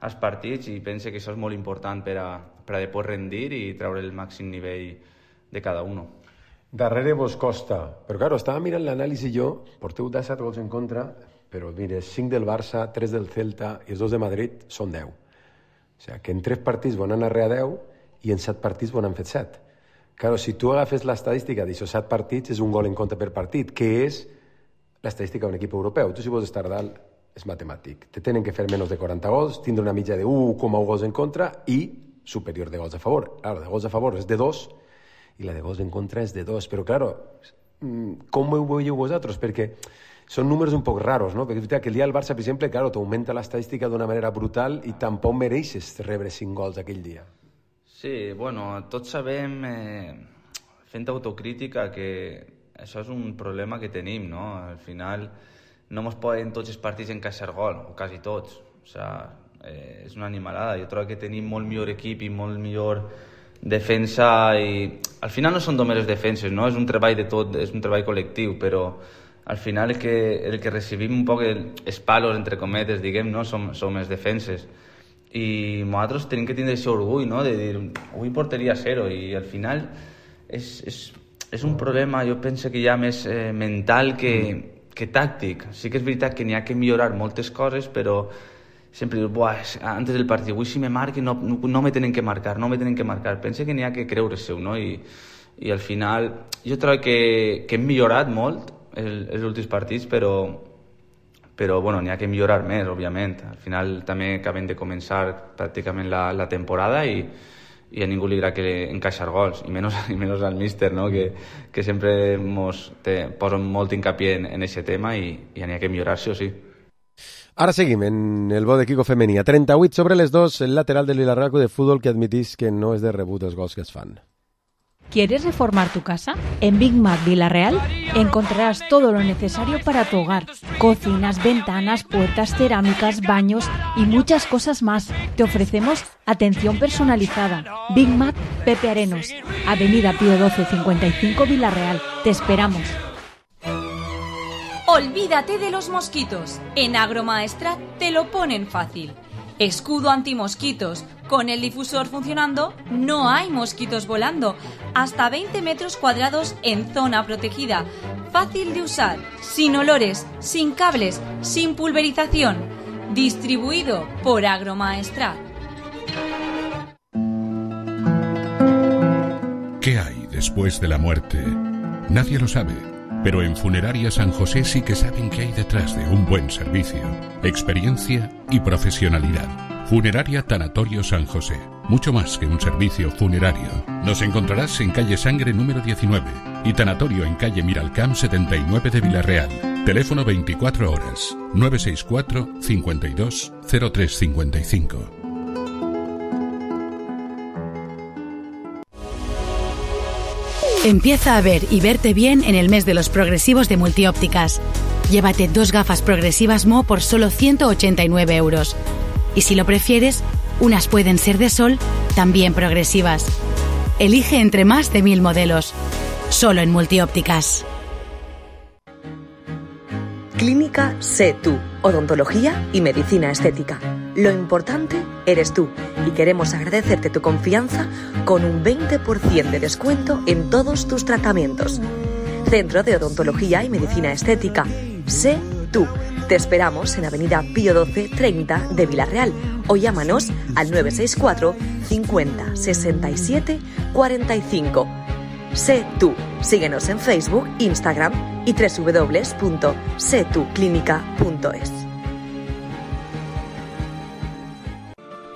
als partits, i penso que això és molt important per a poder rendir i treure el màxim nivell de cada un. Darrere vos costa, però claro, estava mirant l'anàlisi jo, porteu 17 gols en contra, però mire, 5 del Barça, 3 del Celta i els 2 de Madrid són 10. O sigui, que en 3 partits van anar a 10 i en 7 partits van han fet 7. Claro, si tu agafes l'estadística d'això 7 partits, és un gol en contra per partit, que és l'estadística d'un equip europeu. Tu, si vols estar dalt, és matemàtic. Te tenen que fer menys de 40 gols, tindre una mitja de 1,1 gols en contra i superior de gols a favor. Claro, de gols a favor és de 2 i la de gols en contra és de 2. Però, claro, com ho veieu vosaltres? Perquè són números un poc raros, no? Perquè és veritat que el dia del Barça, per exemple, claro, t'augmenta l'estadística d'una manera brutal i tampoc mereixes rebre 5 gols aquell dia. Sí, bueno, tots sabem, fent autocrítica, que això és un problema que tenim, no? Al final no ens poden tots els partits encaixar gol, o quasi tots. O sigui, és una animalada. Jo trobo que tenim molt millor equip i molt millor defensa, i al final no són només les defenses, no? És un treball de tot, és un treball col·lectiu, però al final el que recibim un poc els palos, entre cometes, diguem, no? Som els defenses. I nosaltres tenim que tindre aquest orgull, no? De dir, avui porteria 0, i al final és un problema, jo penso que ja més mental que tàctic. Sí que és veritat que n'hi ha que millorar moltes coses, però sempre dius, buah, antes del partit, avui si me marquen no me tenen que marcar, Pense que n'hi ha que creure-se-ho, no? I al final jo trobo que hem millorat molt els últims partits, però bueno, n'hi ha que millorar més, òbviament. Al final també acabem de començar pràcticament la temporada i a ningú li agrada que encaixar gols, i menys al míster, no? que sempre posa molt hincapié en aquest tema i n'hi ha que millorar-se, o sí. Ara seguim en el bo de Kiko femení. A 38 sobre les 2, el lateral del Villarreal de fútbol que admitís que no és de rebut els gols que es fan. ¿Quieres reformar tu casa? En Big Mac Villarreal encontrarás todo lo necesario para tu hogar. Cocinas, ventanas, puertas, cerámicas, baños y muchas cosas más. Te ofrecemos atención personalizada. Big Mac Pepe Arenos, Avenida Pío 12 55 Villarreal. Te esperamos. Olvídate de los mosquitos. En Agromaestrat te lo ponen fácil. Escudo antimosquitos. Con el difusor funcionando, no hay mosquitos volando. Hasta 20 metros cuadrados en zona protegida. Fácil de usar, sin olores, sin cables, sin pulverización. Distribuido por Agromaestrat. ¿Qué hay después de la muerte? Nadie lo sabe. Pero en Funeraria San José sí que saben qué hay detrás de un buen servicio, experiencia y profesionalidad. Funeraria Tanatorio San José. Mucho más que un servicio funerario. Nos encontrarás en calle Sangre número 19 y Tanatorio en calle Miralcamp 79 de Villarreal. Teléfono 24 horas 964 52 0355. Empieza a ver y verte bien en el mes de los progresivos de Multiópticas. Llévate 2 gafas progresivas Mo por solo 189 euros. Y si lo prefieres, unas pueden ser de sol, también progresivas. Elige entre más de 1000 modelos. Solo en Multiópticas. Clínica Sé Tú, odontología y medicina estética. Lo importante eres tú y queremos agradecerte tu confianza con un 20% de descuento en todos tus tratamientos. Centro de Odontología y Medicina Estética. Sé Tú. Te esperamos en Avenida Pío 12 30 de Villarreal o llámanos al 964 50 67 45. Sé Tú. Síguenos en Facebook, Instagram y www.setuclinica.es.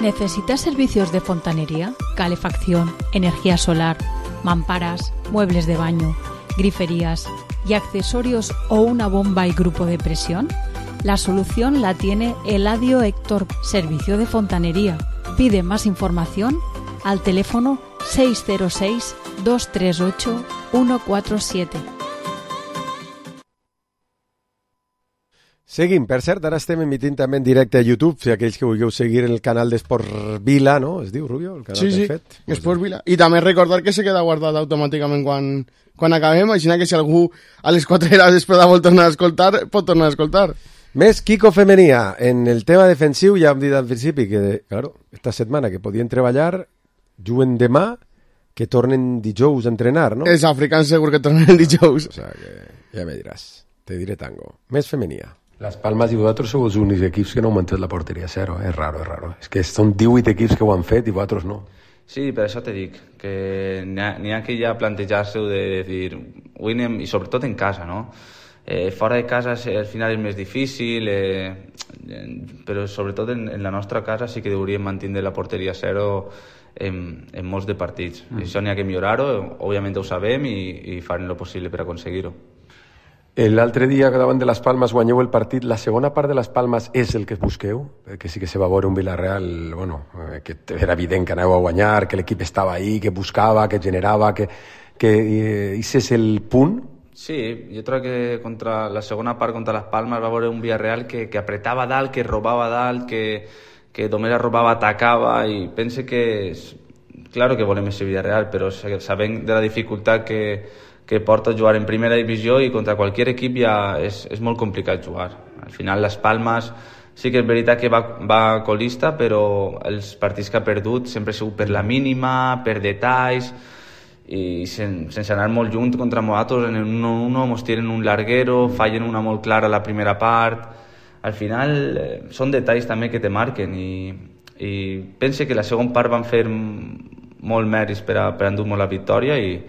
¿Necesitas servicios de fontanería, calefacción, energía solar, mamparas, muebles de baño, griferías y accesorios o una bomba y grupo de presión? La solución la tiene Eladio Héctor, servicio de fontanería. Pide más información al teléfono 606 238 147. Seguim, per cert, ara estem emitint també en directe a YouTube, si aquells que vulgueu seguir el canal d'Esport Vila, no? Es diu, Rubio? El canal sí, fet. Esport Vila. I també recordar que se queda guardat automàticament quan acabem, així que si algú a les 4 hores després vol tornar a escoltar, pot tornar a escoltar. Més Kiko femenia. En el tema defensiu ja hem dit al principi que, claro, esta setmana que podien treballar, juguen demà, que tornen dijous a entrenar, no? Els africans segur que tornen el dijous. O sea que ja me diràs, te diré tango. Més femenia. Las Palmas i vosaltres sou els únics equips que no heu mantret la porteria a 0, és raro. És que són 18 equips que ho han fet i vosaltres no. Sí, per això te dic, que n'hi ha que ja plantejar-se-ho de dir, i sobretot en casa, no? Fora de casa al final és més difícil, però sobretot en la nostra casa sí que hauríem mantenir la porteria a 0 en molts de partits. Això n'hi ha que millorar-ho, òbviament ho sabem i farem el possible per aconseguir-ho. L'altre dia, davant de les Palmes, guanyeu el partit. La segona part de les Palmes és el que busqueu? Que sí que se va veure un Villarreal, bueno, que era evident que aneu a guanyar, que l'equip estava ahí, que buscava, que generava, que és el punt? Sí, jo crec que contra la segona part contra les Palmes va veure un Villarreal que apretava dalt, que robava dalt, que només robava, atacava, i pense que claro que volem ese Villarreal, però sabem de la dificultat que porta jugar en primera divisió i contra qualsevol equip ja és molt complicat jugar. Al final les Palmes sí que és veritat que va colista, però els partits que ha perdut sempre ha sigut per la mínima, per detalls, i sense anar molt junt contra nosaltres en un 1-1 ens tiren un larguero, fallen una molt clara a la primera part. al final són detalls també que te marquen i pense que la segona part van fer molt mèrits per a endur-nos la victòria i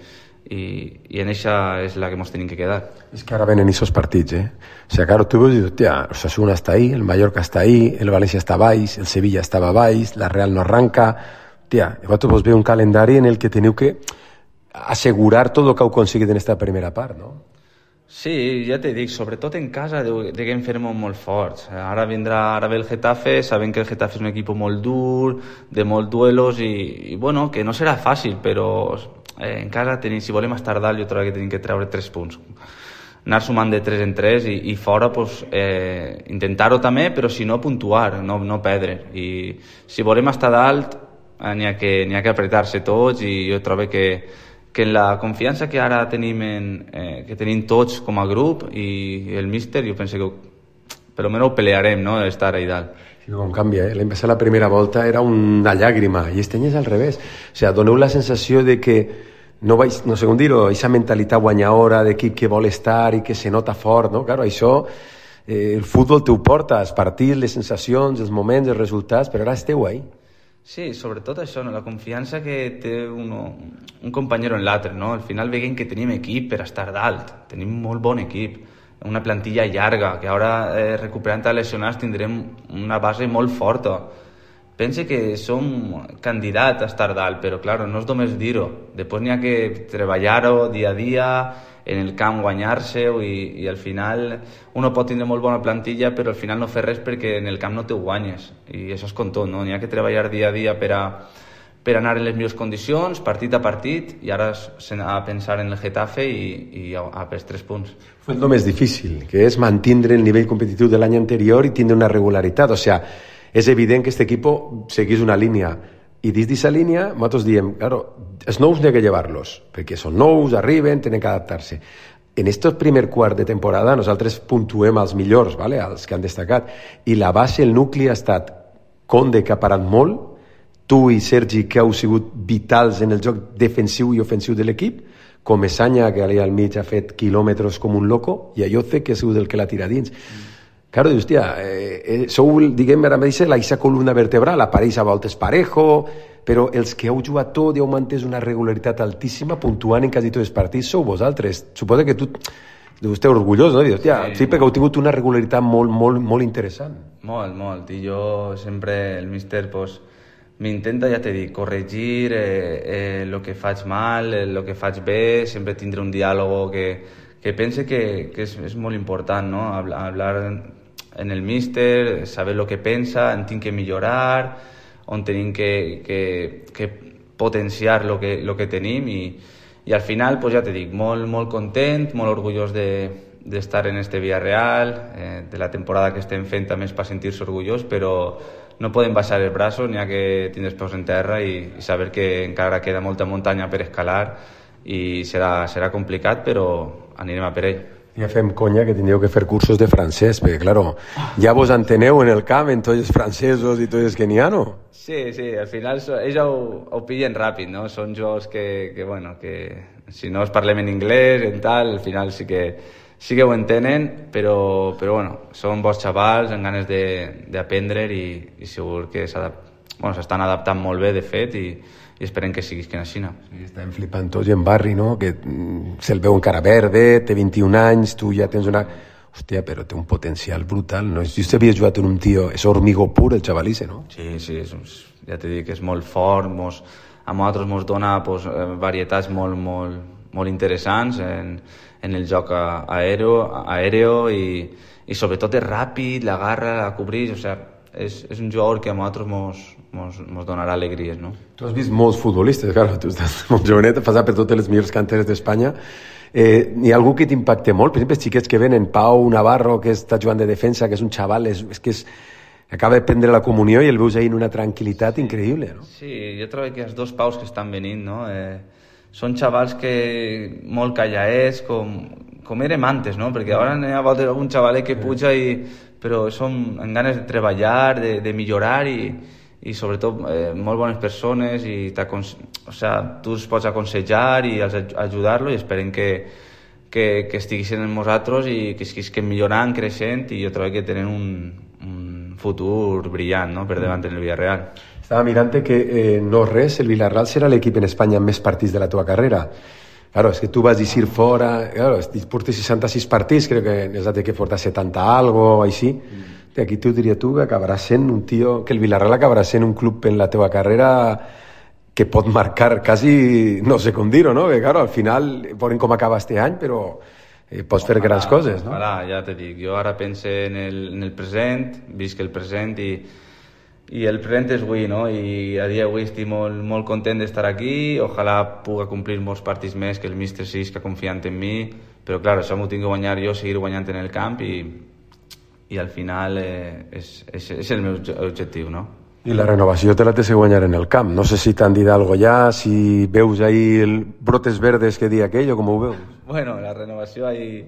en eixa és la que ens tenim que quedar. És que ara venen aquests partits, O sigui, claro, tu veus i dius, tia, el Osasuna està ahí, el Mallorca està ahí, el València està baix, el Sevilla estava baix, la Real no arranca. Tia, vosaltres vos veu un calendari en el que teniu que assegurar tot el que heu aconseguit en esta primera part, no? Sí, ja te dic, sobretot en casa deguem fer molt forts. Ara ve el Getafe, sabem que el Getafe és un equip molt dur, de molts duelos i bueno, que no serà fàcil, però en casa si volem estar dalt jo trobo que tenim que treure 3 punts. Anar sumant de 3 en 3 i fora pues, intentar-ho també, però si no puntuar, no perdre. I si volem estar dalt n'hi ha que apretar-se tots i jo trobo que en la confiança que ara tenim que tenim tots com a grup i el míster, jo penso que per almenys ho pelearem, no?, estar ahí dalt. Sí, com canvia, L'any passat la primera volta era una llàgrima i este any és al revés. O sigui, doneu la sensació de que no sé com dir-ho, aquesta mentalitat guanyadora d'equip que vol estar i que se nota fort, no? Claro, això el futbol t'ho porta, els partits, les sensacions, els moments, els resultats, però ara esteu ahí. Sí, sobretot això, no? La confiança que té un companyero en l'altre, no? Al final veiem que tenim equip per estar dalt, tenim molt bon equip, una plantilla llarga, que ara recuperant els lesionats tindrem una base molt forta. Pense que som candidats a estar dalt, però clar, no és només dir-ho. Després n'hi ha que treballar-ho dia a dia, en el camp guanyar-se-ho i al final uno pot tindre molt bona plantilla però al final no fer res perquè en el camp no te guanyes i això és com tot, no? N'hi ha que treballar dia a dia per anar en les millors condicions, partit a partit i ara a pensar en el Getafe i a pels 3 punts. Fue el més difícil, que és mantindre el nivell competitiu de l'any anterior i tindre una regularitat, o sea, és evident que este equipo seguís una línia i dins d'aquesta línia nosaltres diem, claro, els nous n'hi ha que llevar-los perquè són nous, arriben, tenen que adaptar-se. En aquest primer quart de temporada nosaltres puntuem els millors, ¿vale? Els que han destacat, i la base, el nucli ha estat Conde, que ha parat molt, tu i Sergi, que heu sigut vitals en el joc defensiu i ofensiu de l'equip, com Esanya, que allà al mig ha fet quilòmetres com un loco, i Ayoce, que ha sigut el que l'ha tirat dins. Claro, dius, tia, sou, diguem, ara mateix, la columna vertebral, apareix a voltes Parejo, però els que heu jugat tot i heu mantès una regularitat altíssima, puntuant en quasi tots els partits, sou vosaltres. Suposa que tu esteu orgullós, no? Dius, tia, sí, perquè heu tingut una regularitat molt interessant. Molt. I jo sempre, el míster, pues, m'intenta, ja t'he dit, corregir el que faig mal, el que faig bé, sempre tindre un diàleg que pense que és molt important, no? Hablar en el míster, saber el que pensa, en tinc que millorar, on tenim que potenciar el que tenim i al final, pues ja t'he dit, molt content, molt orgullós d'estar en este Villarreal, de la temporada que estem fent també és per sentir-se orgullós, però no podem baixar els braços, n'hi ha que tindre els peus en terra i saber que encara queda molta muntanya per escalar i serà complicat, però anirem a per ell. Ja fem conya que tindríeu que fer cursos de francès, perquè, claro, ja vos enteneu en el camp, en tots els francesos i tots els que n'hi ha, no? Sí, al final ells ho pillen ràpid, no? Són jocs que si no es parlem en anglès, en tal, al final sí que ho entenen, però bueno, són bons xavals amb ganes d'aprendre i segur que s'estan adaptant molt bé, de fet, i esperem que siguin així. Sí, estem flipant tots i en Barri, no? Que se'l veu encara verde, té 21 anys, tu ja tens una... Hòstia, però té un potencial brutal, no? Jo havia jugat en un tio, és hormigó pur, el xavalisse, no? Sí, ja t'he dit que és molt fort, a nosaltres ens dona varietats molt interessants en el joc aèreo i sobretot és ràpid, l'agarra, la cobreix, o sigui, és un jugador que a nosaltres ens donarà alegries, no? Tu has vist molts futbolistes, claro, tu estàs molt jovenet, has passat per totes les millors canteres d'Espanya. Hi ha algú que t'impacte molt? Per exemple, els xiquets que venen, Pau Navarro, que està jugant de defensa, que és un xaval, acaba de prendre la comunió i el veus ahí en una tranquil·litat increïble, no? Sí, jo trobo que els 2 Paus que estan venint, no? Són xavals que molt callaets, com érem antes, no? Perquè ara n'hi ha algun xavalet que puja però són amb ganes de treballar, de millorar i sobretot molt bones persones i tu els pots aconsellar i ajudar-lo i esperem que que estiguessin amb nosaltres i que estiguessin millorant, creixent, i jo trobo que tenen un futur brillant, no?, per davant en el Villarreal. Estava mirant que no res, el Villarreal serà l'equip en Espanya amb més partits de la teva carrera. Claro, es que tú vas a decir fuera, claro, portes 66 partits, creo que es de que porta 70 algo, així. Aquí tu diria tu que acabaràs sent un tio, que el Villarreal acabarà sent un club en la teva carrera que pot marcar quasi, no sé com dir-ho, no? Que, claro, al final, veurem com acaba este any, però pots fer grans coses, no? Ojalà, ja te dic, jo ara pense en el present, visc el present i el present és avui, no? I a dia d'avui estic molt content d'estar aquí, ojalà puga complir molts partits més, que el míster siga confiant en mi, però clar, això m'ho tinc que guanyar jo, seguir guanyant en el camp i al final és el meu objectiu, no? I la renovació te la tens que guanyar en el camp. No sé si t'han dit alguna cosa ja, si veus ahí brotes verdes que di aquell o com ho veus. Bueno, la renovació ahí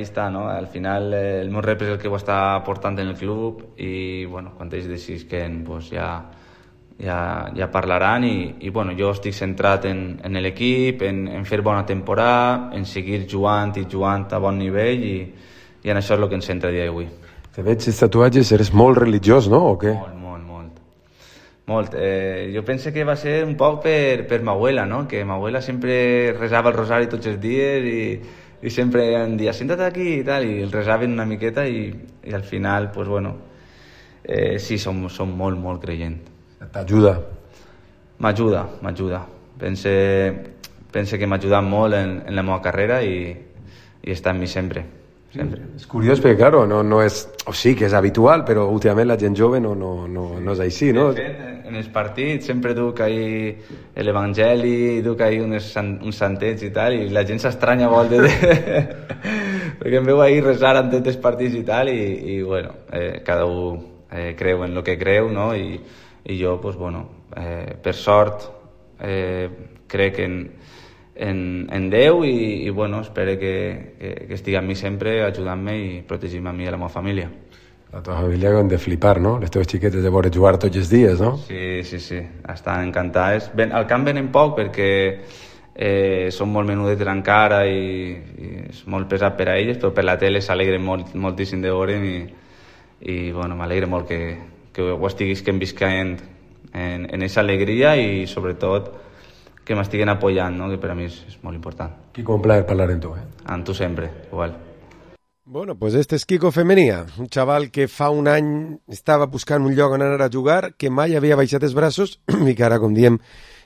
està, no? Al final el meu rep és el que ho està portant en el club i, bueno, quan ells decidisquen, pues ja parlaran i bueno, jo estic centrat en l'equip, en fer bona temporada, en seguir jugant a bon nivell i en això és el que ens centra a dia d'avui. Te veig els tatuatges, eres molt religiós, no? O què? Molt. Jo penso que va ser un poc per ma abuela, no? Que ma abuela sempre resava el rosari tots els dies i sempre em dia, senta't aquí i tal, i el resaven una miqueta i al final, pues bueno, sí, som molt creient. T'ajuda? M'ajuda. Pense que m'ha ajudat molt en la meva carrera i està amb mi sempre. És curiós perquè, claro, no és... O sí que és habitual, però últimament la gent jove no és així, no? De fet, en els partits sempre duc ahí l'Evangeli, duc ahí uns santets i tal, i la gent s'estranya molt perquè em veu ahí resar en tots els partits i tal, i bueno, cada un creu en el que creu, no? I jo, pues bueno, per sort, crec en Déu i bueno, espero que estigui amb mi sempre ajudant-me i protegint-me a mi i a la meva família. La teva família han de flipar, no? Les teves xiquetes de veure jugar tots els dies, no? Sí, estan encantades. Al camp venen poc perquè són molt menudetes encara i és molt pesat per a elles, però per la tele s'alegren moltíssim de veure'm i bueno, m'alegra molt que ho estiguis visquent en aquesta alegria i sobretot que m'estiguen apoyant, no? Que per a mi és molt important. Quico, un plaer parlar amb tu, Amb tu sempre, igual. Bueno, pues este es Quico Femenía, un chaval que fa un any estava buscant un lloc on anar a jugar, que mai havia baixat els braços i que ara, com diem,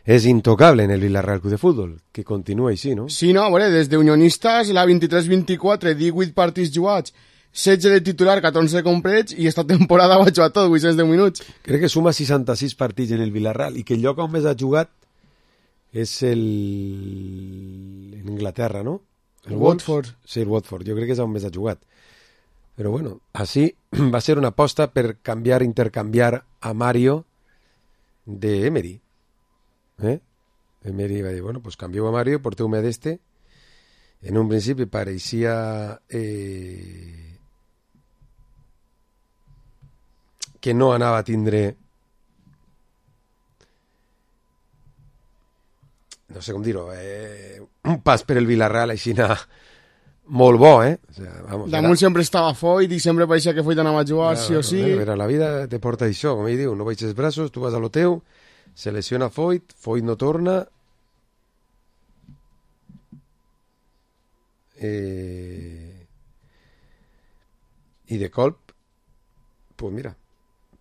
és intocable en el Villarreal Club de Futbol, que continua així, no? Sí, no, a veure, des d'Unionistes, la 23-24, 18 partits jugats, 16 de titular, 14 de complets, i esta temporada va jugar tot, 810 minuts. Crec que suma 66 partits en el Villarreal, i que el lloc on més ha jugat és en Inglaterra, no? El Watford. Sí, el Watford. Jo crec que és on més ha jugat. Però bueno, així va ser una aposta per intercanviar a Mario de Emery. Emery va dir, bueno, pues canvieu a Mario, porteu-me d'este. En un principi pareixia que no anava a tindre... no sé com dir-ho, un pas per el Villarreal així molt bo, O sea, vamos, damunt sempre estava Foyt i sempre pareixia que Foyt anava a jugar, sí o sí. Mira, la vida te porta això, com ell diu, no baixes els braços, tu vas a lo teu, se lesiona Foyt no torna, i de colp, pues mira,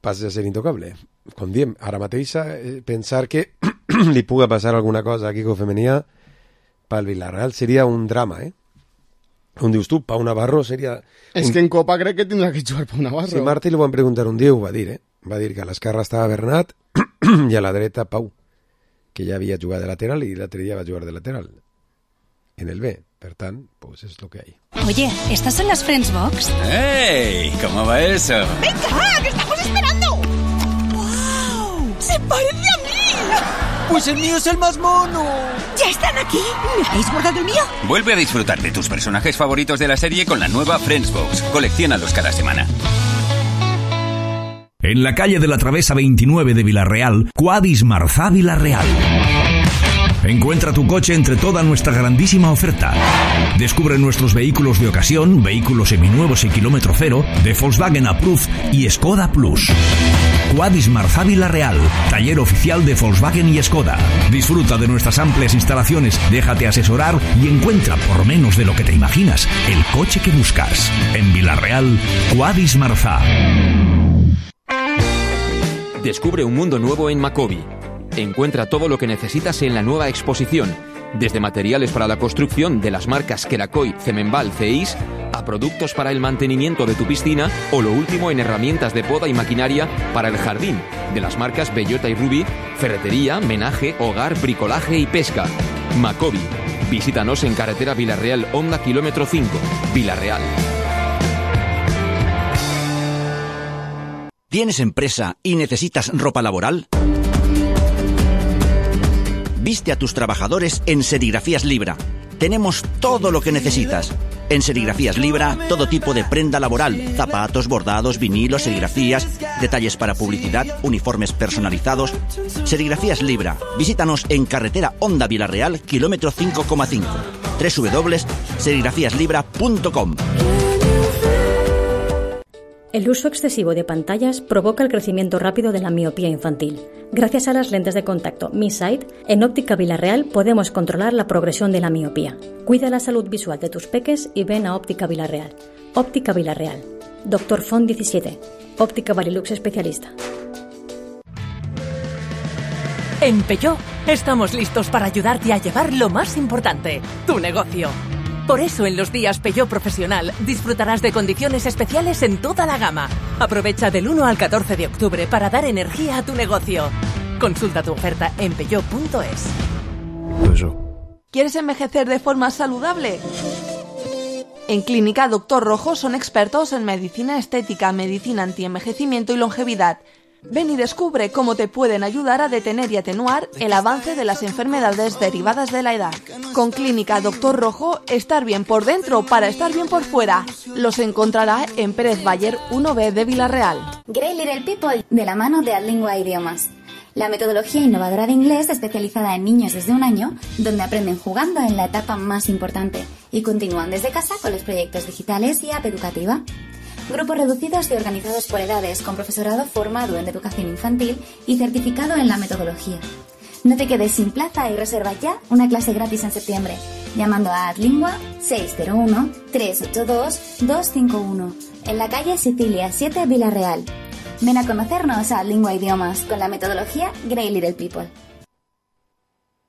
passes a ser intocable. Com diem, ara mateix pensar que li puga passar alguna cosa a Quico Femenía pel Villarreal seria un drama, Com dius tu, Pau Navarro seria... És que en Copa crec que tindrà que jugar Pau Navarro. Sí, Martí li van preguntar un dia, ho va dir, Va dir que a l'esquerra estava Bernat i a la dreta Pau, que ja havia jugat de lateral i l'altre dia va jugar de lateral en el B. Per tant, pues es lo que hay. Oye, ¿estas son las Friends Box? ¡Hey! ¿Cómo va eso? ¡Venga, que estamos esperando! ¡Wow! ¡Se parece a mí! ¡Pues el mío es el más mono! ¿Ya están aquí? ¿Me habéis guardado el mío? Vuelve a disfrutar de tus personajes favoritos de la serie con la nueva Friends Box. Colecciónalos cada semana. En la calle de la Travesa 29 de Villarreal, Cuadis Marzá Villarreal. Encuentra tu coche entre toda nuestra grandísima oferta. Descubre nuestros vehículos de ocasión, vehículos seminuevos y kilómetro cero, de Volkswagen Approved y Skoda Plus. Quadis Marzá Vila-real, taller oficial de Volkswagen y Skoda. Disfruta de nuestras amplias instalaciones, déjate asesorar y encuentra, por menos de lo que te imaginas, el coche que buscas. En Vila-real, Quadis Marzá. Descubre un mundo nuevo en Macobi. Encuentra todo lo que necesitas en la nueva exposición, desde materiales para la construcción de las marcas Kerakoy, Cemenbal, Ceis, a productos para el mantenimiento de tu piscina o lo último en herramientas de poda y maquinaria para el jardín, de las marcas Bellota y Ruby, ferretería, menaje, hogar, bricolaje y pesca. Macobi. Visítanos en carretera Vila-real, Honda kilómetro 5, Vila-real. ¿Tienes empresa y necesitas ropa laboral? Viste a tus trabajadores en Serigrafías Libra. Tenemos todo lo que necesitas. En Serigrafías Libra, todo tipo de prenda laboral, zapatos, bordados, vinilos, serigrafías, detalles para publicidad, uniformes personalizados. Serigrafías Libra. Visítanos en carretera Honda Vila-real, kilómetro 5,5. www.serigrafíaslibra.com. El uso excesivo de pantallas provoca el crecimiento rápido de la miopía infantil. Gracias a las lentes de contacto Mi Sight, en Óptica Vila-real podemos controlar la progresión de la miopía. Cuida la salud visual de tus peques y ven a Óptica Vila-real. Óptica Vila-real. Dr. Font 17. Óptica Varilux especialista. En Peugeot estamos listos para ayudarte a llevar lo más importante, tu negocio. Por eso en los días Peugeot Profesional disfrutarás de condiciones especiales en toda la gama. Aprovecha del 1 al 14 de octubre para dar energía a tu negocio. Consulta tu oferta en peugeot.es. ¿Quieres envejecer de forma saludable? En Clínica Dr. Rojo son expertos en medicina estética, medicina antienvejecimiento y longevidad. Ven y descubre cómo te pueden ayudar a detener y atenuar el avance de las enfermedades derivadas de la edad. Con Clínica Dr. Rojo, estar bien por dentro para estar bien por fuera. Los encontrará en Pérez Bayer 1B de Vila-real. Great Little People, de la mano de Adlingua Idiomas. La metodología innovadora de inglés especializada en niños desde 1 año, donde aprenden jugando en la etapa más importante y continúan desde casa con los proyectos digitales y app educativa. Grupos reducidos y organizados por edades, con profesorado formado en educación infantil y certificado en la metodología. No te quedes sin plaza y reserva ya una clase gratis en septiembre, llamando a Adlingua 601-382-251, en la calle Sicilia 7, Vila-real. Ven a conocernos a Adlingua Idiomas con la metodología Great Little People.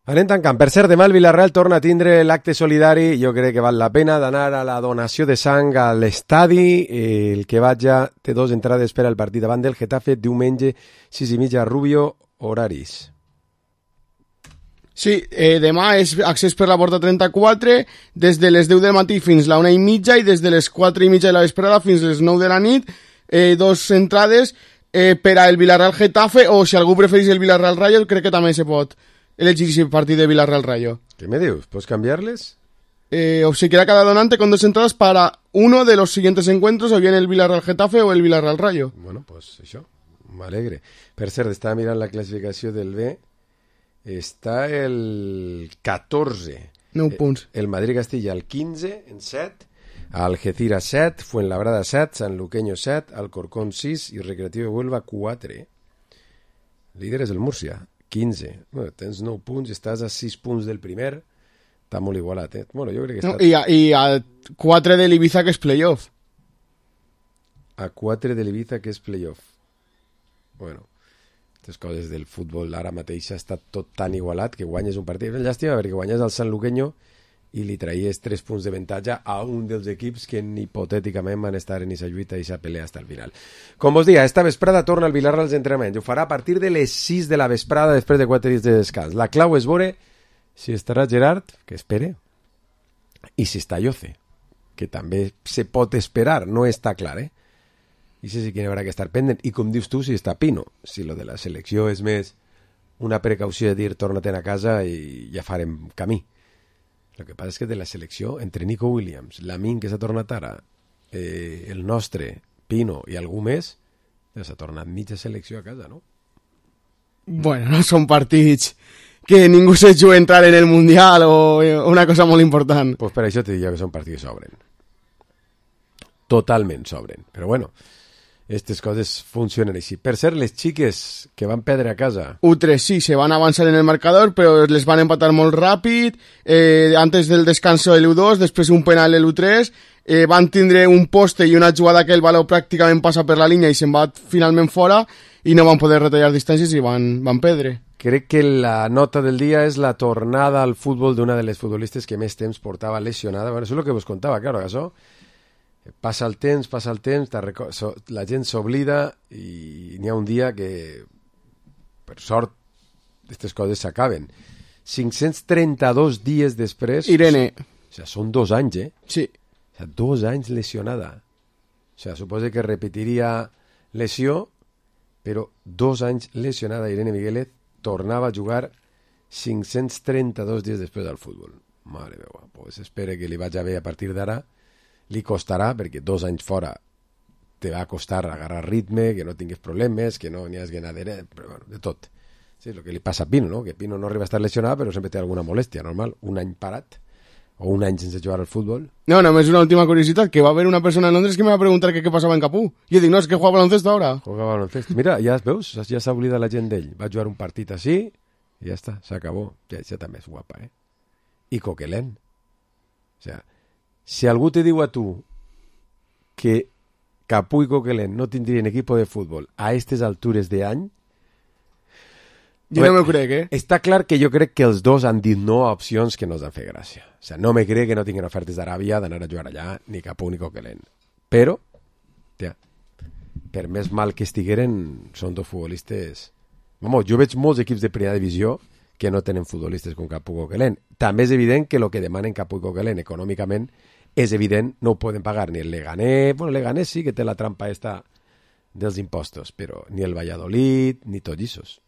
Anem tancant. Per cert, demà el Vila-real torna a tindre l'acte solidari. Jo crec que val la pena d'anar a la donació de sang a l'estadi. El que vaja té 2 entrades per al partit davant del Getafe, diumenge 6:30 a Rubio, horaris. Sí, demà és accés per la porta 34, des de les 10 del matí fins la 1:30 i des de les 4:30 de la vesprada fins les 9 de la nit. 2 entrades per al Vila-real Getafe, o si algú preferís el Vila-real Rayo, crec que també se pot elegir ese partido de Vila-real Rayo. ¿Qué me dius? ¿Puedes cambiarles? Obsequiará cada donante con 2 entradas para uno de los siguientes encuentros, o bien el Vila-real Getafe o el Vila-real Rayo. Bueno, pues això, m'alegre. Per cert, estava mirant la classificació del B. Està el 14. 9 punts. El Madrid-Castilla el 15 en 7. Algeciras 7, Fuenlabrada 7, Sanluqueño 7, Alcorcón 6 i Recreativo de Huelva 4. Líder és el Múrcia, 15. Bueno, tens 9 punts, estàs a 6 punts del primer. Està molt igualat, eh? Bueno, jo crec que està... I a 4 de l'Ibiza, que és playoff. A 4 de l'Ibiza, que és playoff. Bueno, aquestes coses del futbol ara mateix està tot tan igualat que guanyes un partit. Llàstima, perquè guanyes el Sanluqueño i li traies 3 punts d'avantatge a un dels equips que hipotèticament van estar en aquesta lluita i aquesta pelea fins al final. Com vos dia, esta vesprada torna el Vila-real als entrenaments. Ho farà a partir de les 6 de la vesprada després de 4 dies de descans. La clau és veure si estarà Gerard, que espere, i si està Yoce, que també se pot esperar, no està clar, eh? I si que haurà que estar pendent. I com dius tu, si està Pino. Si lo de la selecció és més una precaució de dir torna-te'n a casa i ja farem camí. El que passa és que de la selecció, entre Nico Williams, Lamin, que s'ha tornat ara, el nostre, Pino i algú més, ja s'ha tornat mitja selecció a casa, no? Bueno, no són partits que ningú se jugui entrar en el Mundial o una cosa molt important. Pues per això te diria que són partits que sobren. Totalment sobren. Però bueno, aquestes coses funcionen així. Per cert, les xiques que van perdre a casa... U3 sí, se van avançar en el marcador, però les van empatar molt ràpid. Antes del descanso el U2, després un penal el U3. Van tindre un poste i una jugada que el baló pràcticament passa per la línia i se'n va finalment fora i no van poder retallar distàncies i van perdre. Crec que la nota del dia és la tornada al futbol d'una de les futbolistes que més temps portava lesionada. Bueno, això és el que vos contava, claro, això. Passa el temps, la gent s'oblida i n'hi ha un dia que, per sort, aquestes coses s'acaben. 532 dies després... Irene. O sigui, són 2 anys, eh? Sí. O sigui, 2 anys lesionada. O sigui, suposa que repetiria lesió, però 2 anys lesionada Irene Miguelet tornava a jugar 532 dies després del futbol. Mare meva, pues espero que li vagi bé a partir d'ara. Li costarà, perquè 2 anys fora te va costar agarrar ritme, que no tingues problemes, que no n'hi hagi ganadera, però bueno, de tot. Sí, el que li passa a Pino, no? Que Pino no arriba a estar lesionada, però sempre té alguna molèstia, normal. Un any parat, o un any sense jugar al futbol. No, només una última curiositat, que va haver una persona en Londres que me va preguntar què passava en Capú. I jo dic, no, és que juega baloncesto ara. Juega baloncesto. Mira, ja veus, ja s'ha oblidat la gent d'ell. Va jugar un partit així, i ja està, s'acabó. Ja també és guapa, eh? I Coquelin. O sea, si algú te diu a tu que Capú i Coquelin no tindrien equipo de futbol a aquestes altures d'any, jo no m'ho crec, eh? Està clar que jo crec que els dos han dit no a opcions que no els han fet gràcia. O sea, no me crec que no tinguin ofertes d'Aràbia d'anar a jugar allà, ni Capú ni Coquelin. Però, per més mal que estigueren, són 2 futbolistes... Vamos, jo veig molts equips de primera divisió que no tenen futbolistes com Capú i Coquelin. També és evident que el que demanen Capú i Coquelin econòmicament és evident, no ho poden pagar ni el Leganés, bueno, el Leganés sí que té la trampa esta dels impostos, però ni el Valladolid, ni tots ells.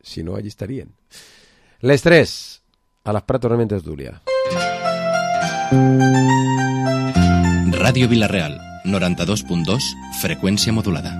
Si no, allí estarien. Les 3, a les Prat tornem en tertúlia. Ràdio Vila-real, 92.2, freqüència modulada.